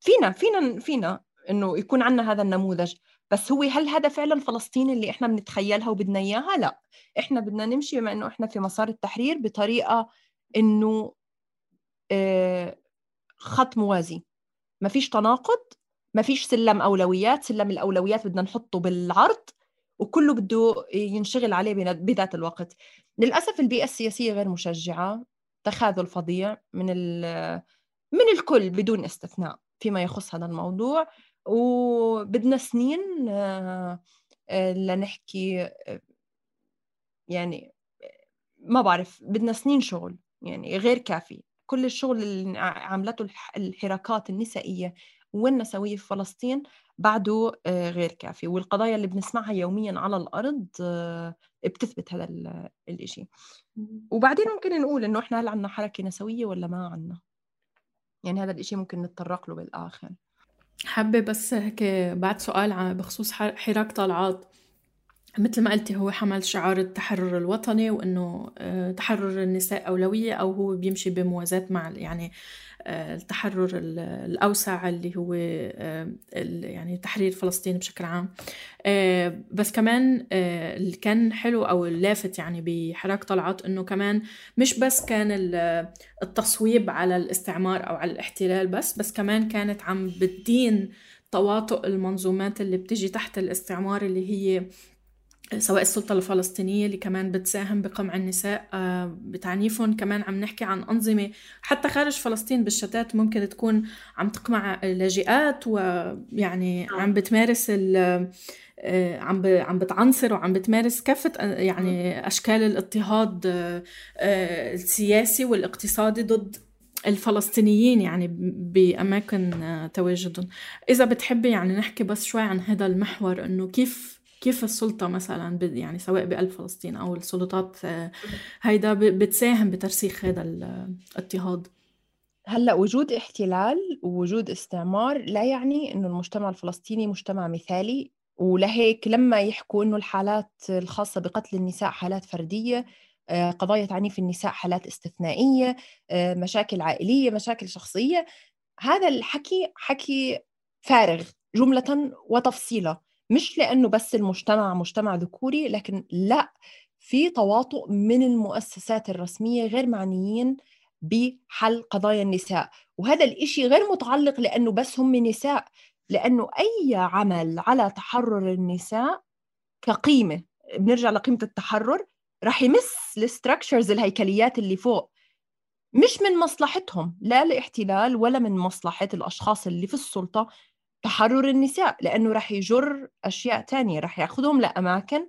فينا فينا فينا إنه يكون عنا هذا النموذج، بس هو هل هذا فعلا فلسطين اللي إحنا بنتخيلها وبدنا إياها؟ لا، إحنا بدنا نمشي بما إنه إحنا في مسار التحرير بطريقة إنه خط موازي، ما فيش تناقض، ما فيش سلم أولويات. سلم الأولويات بدنا نحطه بالعرض وكله بده ينشغل عليه بذات الوقت. للأسف البيئة السياسية غير مشجعة، تخاذل فظيع من من الكل بدون استثناء فيما يخص هذا الموضوع، وبدنا سنين لنحكي، يعني ما بعرف، بدنا سنين شغل يعني غير كافي. كل الشغل اللي عملته الحراكات النسائية والنسوية في فلسطين بعده غير كافي، والقضايا اللي بنسمعها يوميا على الأرض بتثبت هذا الاشي. وبعدين ممكن نقول إنه إحنا هل عنا حركة نسوية ولا ما عنا؟ يعني هذا الاشي ممكن نتطرق له بالآخر. حابة بس هيك بعد سؤال بخصوص حراك طلعات. مثل ما قلتي هو حمل شعار التحرر الوطني، وإنه تحرر النساء أولوية، أو هو بيمشي بموازاة مع يعني التحرر الأوسع اللي هو يعني تحرير فلسطين بشكل عام. بس كمان اللي كان حلو أو اللافت يعني بحراك طلعات إنه كمان مش بس كان التصويب على الاستعمار أو على الاحتلال بس بس كمان كانت عم بتدين تواطؤ المنظومات اللي بتجي تحت الاستعمار، اللي هي سواء السلطة الفلسطينية اللي كمان بتساهم بقمع النساء بتعنيفهم. كمان عم نحكي عن أنظمة حتى خارج فلسطين بالشتات ممكن تكون عم تقمع لاجئات، ويعني عم بتمارس عم عم بتعنصر وعم بتمارس كافة يعني أشكال الاضطهاد السياسي والاقتصادي ضد الفلسطينيين يعني بأماكن تواجدهم. إذا بتحبي يعني نحكي بس شوي عن هذا المحور، إنه كيف كيف السلطة مثلا يعني سواء بقلب فلسطين أو السلطات هيدا بتساهم بترسيخ هذا الاضطهاد. هلأ وجود احتلال ووجود استعمار لا يعني إنه المجتمع الفلسطيني مجتمع مثالي، ولهيك لما يحكوا إنه الحالات الخاصة بقتل النساء حالات فردية، قضايا تعنيف النساء حالات استثنائية، مشاكل عائلية، مشاكل شخصية، هذا الحكي حكي فارغ جملة وتفصيلا. مش لأنه بس المجتمع مجتمع ذكوري، لكن لا، في تواطؤ من المؤسسات الرسمية غير معنيين بحل قضايا النساء. وهذا الإشي غير متعلق لأنه بس هم نساء، لأنه أي عمل على تحرر النساء كقيمة، بنرجع لقيمة التحرر، رح يمس الستراكشرز الهيكليات اللي فوق، مش من مصلحتهم لا الاحتلال ولا من مصلحة الأشخاص اللي في السلطة تحرر النساء، لأنه رح يجر أشياء تانية، رح يأخذهم لأماكن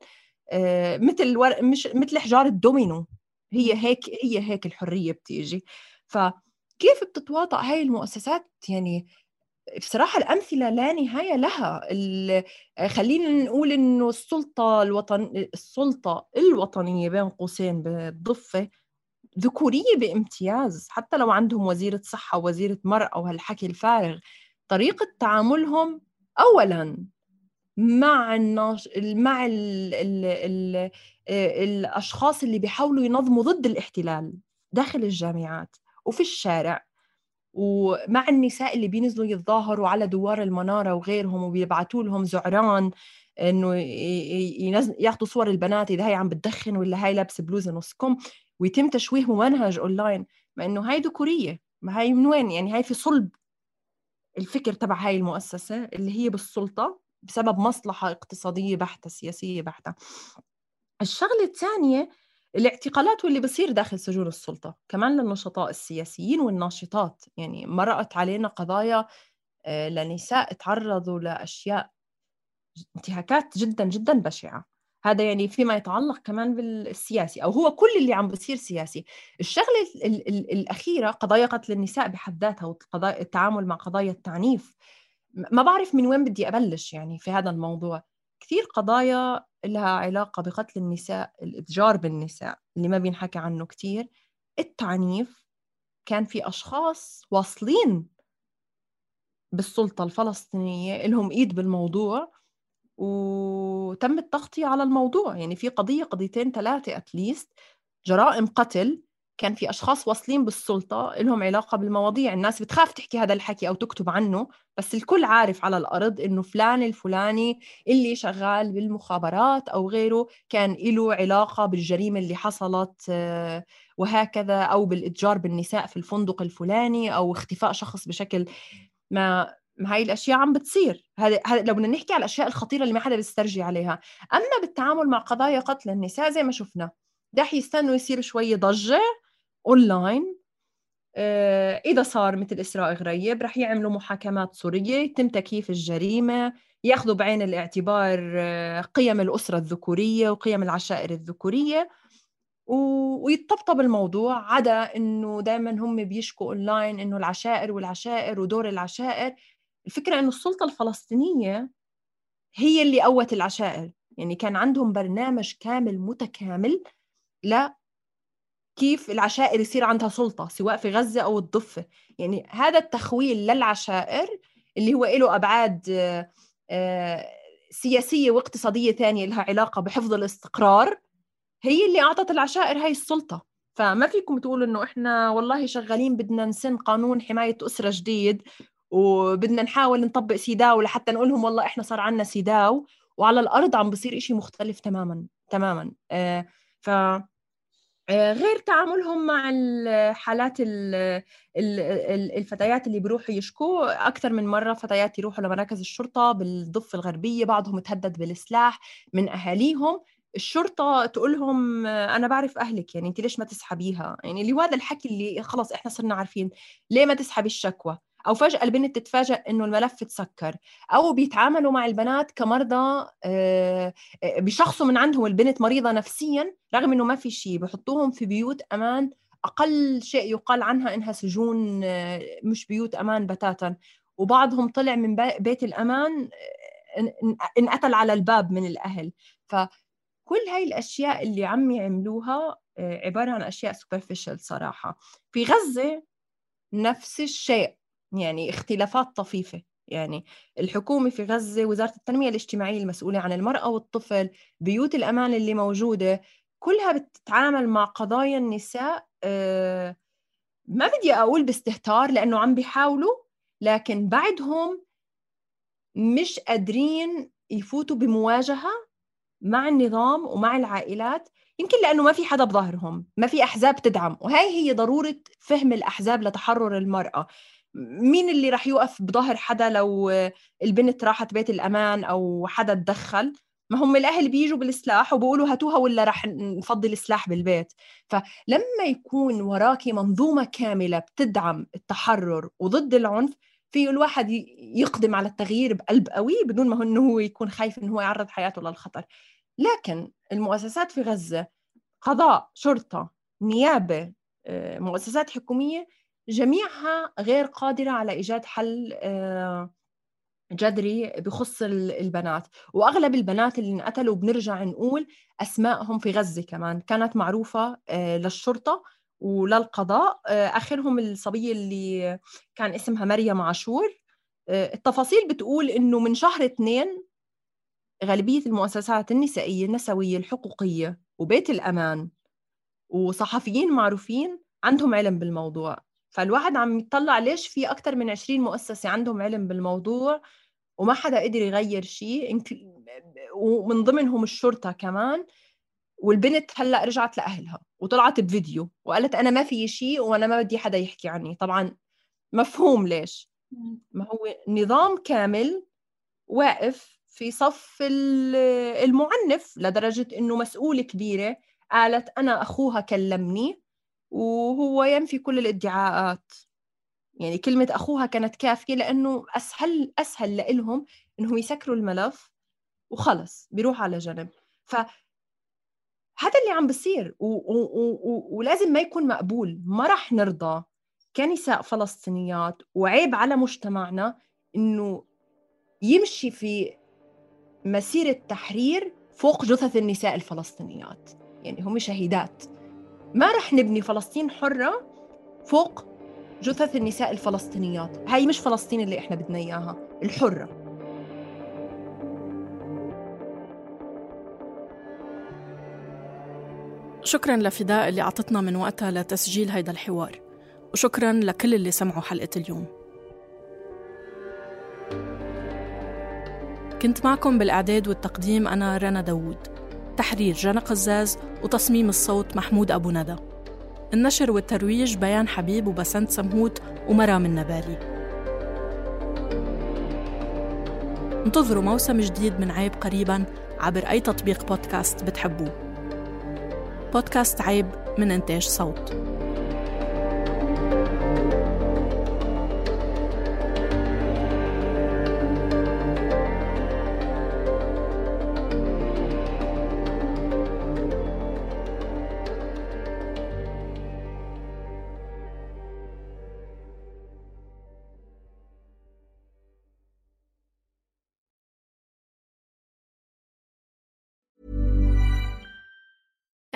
آه مثل ور... مش مثل حجار الدومينو. هي هيك هي هيك الحرية بتيجي. فكيف بتتواطأ هاي المؤسسات؟ يعني بصراحة الأمثلة لا نهاية لها. خلينا نقول إنه السلطة الوطن السلطة الوطنية بين قوسين بالضفة ذكورية بامتياز، حتى لو عندهم وزيرة صحة ووزيرة مرأة وهالحكي الفارغ. طريقة تعاملهم أولاً مع الناش... مع ال... ال... ال... الأشخاص اللي بيحاولوا ينظموا ضد الاحتلال داخل الجامعات وفي الشارع، ومع النساء اللي بينزلوا يتظاهروا على دوار المنارة وغيرهم وبيبعتوا لهم زعران إنه ينزل... ياخدوا صور البنات إذا هي عم بتدخن ولا هاي لابسة بلوزة نص كم، ويتم تشويه ممنهج أونلاين. ما إنه هاي ذكورية، ما هاي من وين؟ يعني هاي في صلب الفكر تبع هاي المؤسسة اللي هي بالسلطة بسبب مصلحة اقتصادية بحتة، سياسية بحتة. الشغلة الثانية الاعتقالات واللي بصير داخل سجون السلطة كمان للنشطاء السياسيين والناشطات. يعني مرقت علينا قضايا لنساء تعرضوا لأشياء انتهاكات جدا جدا بشعة. هذا يعني فيما يتعلق كمان بالسياسي، أو هو كل اللي عم بصير سياسي. الشغلة ال ال الأخيرة قضايا قتل النساء بحد ذاتها والتعامل مع قضايا التعنيف. ما بعرف من وين بدي أبلش يعني في هذا الموضوع. كثير قضايا لها علاقة بقتل النساء، الإتجار بالنساء اللي ما بينحكى عنه كتير، التعنيف، كان في أشخاص واصلين بالسلطة الفلسطينية إلهم إيد بالموضوع وتم التغطية على الموضوع. يعني في قضية قضيتين ثلاثة أتليست جرائم قتل كان في أشخاص واصلين بالسلطة إلهم علاقة بالمواضيع. الناس بتخاف تحكي هذا الحكي أو تكتب عنه، بس الكل عارف على الأرض إنه فلان الفلاني اللي شغال بالمخابرات أو غيره كان له علاقة بالجريمة اللي حصلت وهكذا، أو بالإتجار بالنساء في الفندق الفلاني، أو اختفاء شخص بشكل ما. هاي الأشياء عم بتصير. هذا لو بدنا نحكي على الأشياء الخطيرة اللي ما حدا بيسترجي عليها. أما بالتعامل مع قضايا قتل النساء زي ما شفنا داح يستنوا يصير شوية ضجة أونلاين. آه إذا صار مثل إسراء غريب رح يعملوا محاكمات سورية، يتم تكييف الجريمة، يأخذوا بعين الاعتبار آه قيم الأسرة الذكورية وقيم العشائر الذكورية، ويتطبطب الموضوع. عدا إنه دايما هم بيشكوا أونلاين إنه العشائر والعشائر ودور العشائر. الفكرة إنه السلطة الفلسطينية هي اللي قوت العشائر. يعني كان عندهم برنامج كامل متكامل لا كيف العشائر يصير عندها سلطة سواء في غزة أو الضفة. يعني هذا التخويل للعشائر اللي هو له أبعاد سياسية واقتصادية ثانية لها علاقة بحفظ الاستقرار، هي اللي أعطت العشائر هاي السلطة. فما فيكم تقولوا إنه إحنا والله شغالين بدنا نسن قانون حماية أسرة جديد وبدنا نحاول نطبق سيداو لحتى نقولهم والله إحنا صار عنا سيداو، وعلى الأرض عم بصير إشي مختلف تماماً تماماً. آه ف غير تعاملهم مع الحالات الفتيات اللي بيروحوا يشكوا أكثر من مرة. فتيات يروحوا لمراكز الشرطة بالضفة الغربية، بعضهم تهدد بالسلاح من أهاليهم. الشرطة تقولهم أنا بعرف أهلك، يعني أنت ليش ما تسحبيها؟ يعني اللي هذا الحكي اللي خلاص إحنا صرنا عارفين ليه ما تسحبي الشكوى. أو فجأة البنت تتفاجأ إنه الملف تسكر. أو بيتعاملوا مع البنات كمرضى، بشخصوا من عندهم البنت مريضة نفسياً رغم إنه ما في شيء، بحطوهم في بيوت أمان أقل شيء يقال عنها إنها سجون، مش بيوت أمان بتاتا. وبعضهم طلع من بيت الأمان انقتل على الباب من الأهل. فكل هاي الأشياء اللي عم يعملوها عبارة عن أشياء superficial صراحة. في غزة نفس الشيء، يعني اختلافات طفيفة. يعني الحكومة في غزة، وزارة التنمية الاجتماعية المسؤولة عن المرأة والطفل، بيوت الأمان اللي موجودة، كلها بتتعامل مع قضايا النساء أه ما بدي أقول باستهتار لأنه عم بيحاولوا، لكن بعدهم مش قادرين يفوتوا بمواجهة مع النظام ومع العائلات. يمكن لأنه ما في حدا بظهرهم، ما في أحزاب تدعم. وهي هي ضرورة فهم الأحزاب لتحرر المرأة. مين اللي رح يوقف بظهر حدا لو البنت راحت بيت الأمان أو حدا تدخل؟ ما هم الأهل بيجوا بالسلاح وبيقولوا هاتوها ولا رح نفضل السلاح بالبيت. فلما يكون وراكي منظومة كاملة بتدعم التحرر وضد العنف، في الواحد يقدم على التغيير بقلب قوي بدون ما إنه هو يكون خايف إنه هو يعرض حياته للخطر. لكن المؤسسات في غزة، قضاء، شرطة، نيابة، مؤسسات حكومية، جميعها غير قادرة على إيجاد حل جذري بخص البنات. وأغلب البنات اللي انقتلوا بنرجع نقول أسمائهم في غزة كمان كانت معروفة للشرطة وللقضاء. آخرهم الصبية اللي كان اسمها مريم عاشور. التفاصيل بتقول إنه من شهر اثنين غالبية المؤسسات النسائية النسوية الحقوقية وبيت الأمان وصحفيين معروفين عندهم علم بالموضوع. فالواحد عم يطلع ليش في أكتر من عشرين مؤسسة عندهم علم بالموضوع وما حدا قدر يغير شيء، ومن ضمنهم الشرطة كمان. والبنت هلأ رجعت لأهلها وطلعت بفيديو وقالت أنا ما في شيء وأنا ما بدي حدا يحكي عني. طبعا مفهوم ليش. ما هو نظام كامل واقف في صف المعنف لدرجة إنه مسؤولة كبيرة قالت أنا أخوها كلمني وهو ينفي كل الادعاءات. يعني كلمة أخوها كانت كافية لأنه أسهل أسهل لإلهم إنهم يسكروا الملف وخلص بيروح على جنب. فهذا اللي عم بصير و- و- و- ولازم ما يكون مقبول. ما رح نرضى كنساء فلسطينيات، وعيب على مجتمعنا إنه يمشي في مسيرة تحرير فوق جثث النساء الفلسطينيات. يعني هم شهيدات. ما رح نبني فلسطين حرة فوق جثث النساء الفلسطينيات. هاي مش فلسطين اللي إحنا بدنا إياها، الحرة. شكراً لفداء اللي عطتنا من وقتها لتسجيل هيدا الحوار، وشكراً لكل اللي سمعوا حلقة اليوم. كنت معكم بالإعداد والتقديم أنا رنا داوود، تحرير جنى قزاز، وتصميم الصوت محمود أبو ندى. النشر والترويج بيان حبيب وبسنت سمهوت ومرام النبالي. انتظروا موسم جديد من عيب قريباً عبر أي تطبيق بودكاست بتحبوه. بودكاست عيب من إنتاج صوت.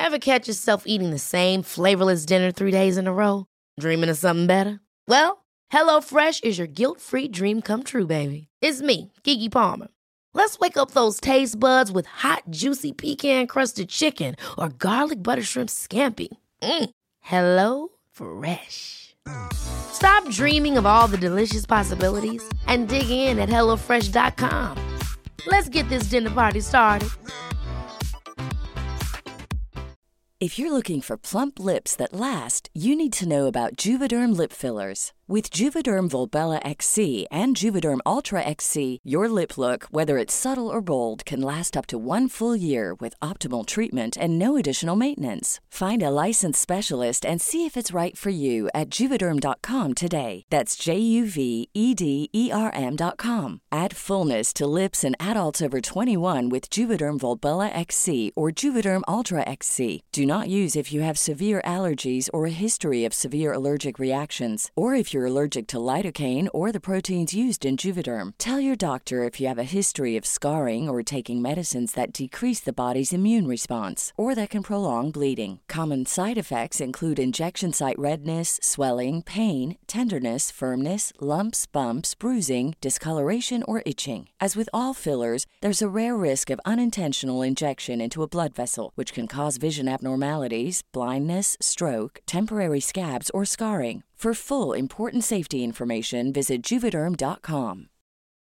Ever catch yourself eating the same flavorless dinner three days in a row? Dreaming of something better? Well, HelloFresh is your guilt-free dream come true, baby. It's me, Keke Palmer. Let's wake up those taste buds with hot, juicy pecan-crusted chicken or garlic butter shrimp scampi. Mm. Hello Fresh. Stop dreaming of all the delicious possibilities and dig in at hello fresh dot com. Let's get this dinner party started. If you're looking for plump lips that last, you need to know about Juvederm lip fillers. With Juvederm Volbella X C and Juvederm Ultra X C, your lip look, whether it's subtle or bold, can last up to one full year with optimal treatment and no additional maintenance. Find a licensed specialist and see if it's right for you at Juvederm dot com today. That's J U V E D E R M dot com. Add fullness to lips in adults over twenty-one with Juvederm Volbella X C or Juvederm Ultra X C. Do not use if you have severe allergies or a history of severe allergic reactions, or if you're allergic to lidocaine or the proteins used in Juvederm. Tell your doctor if you have a history of scarring or taking medicines that decrease the body's immune response or that can prolong bleeding. Common side effects include injection site redness, swelling, pain, tenderness, firmness, lumps, bumps, bruising, discoloration, or itching. As with all fillers, there's a rare risk of unintentional injection into a blood vessel, which can cause vision abnormalities, blindness, stroke, temporary scabs, or scarring. For full important safety information, visit Juvederm dot com.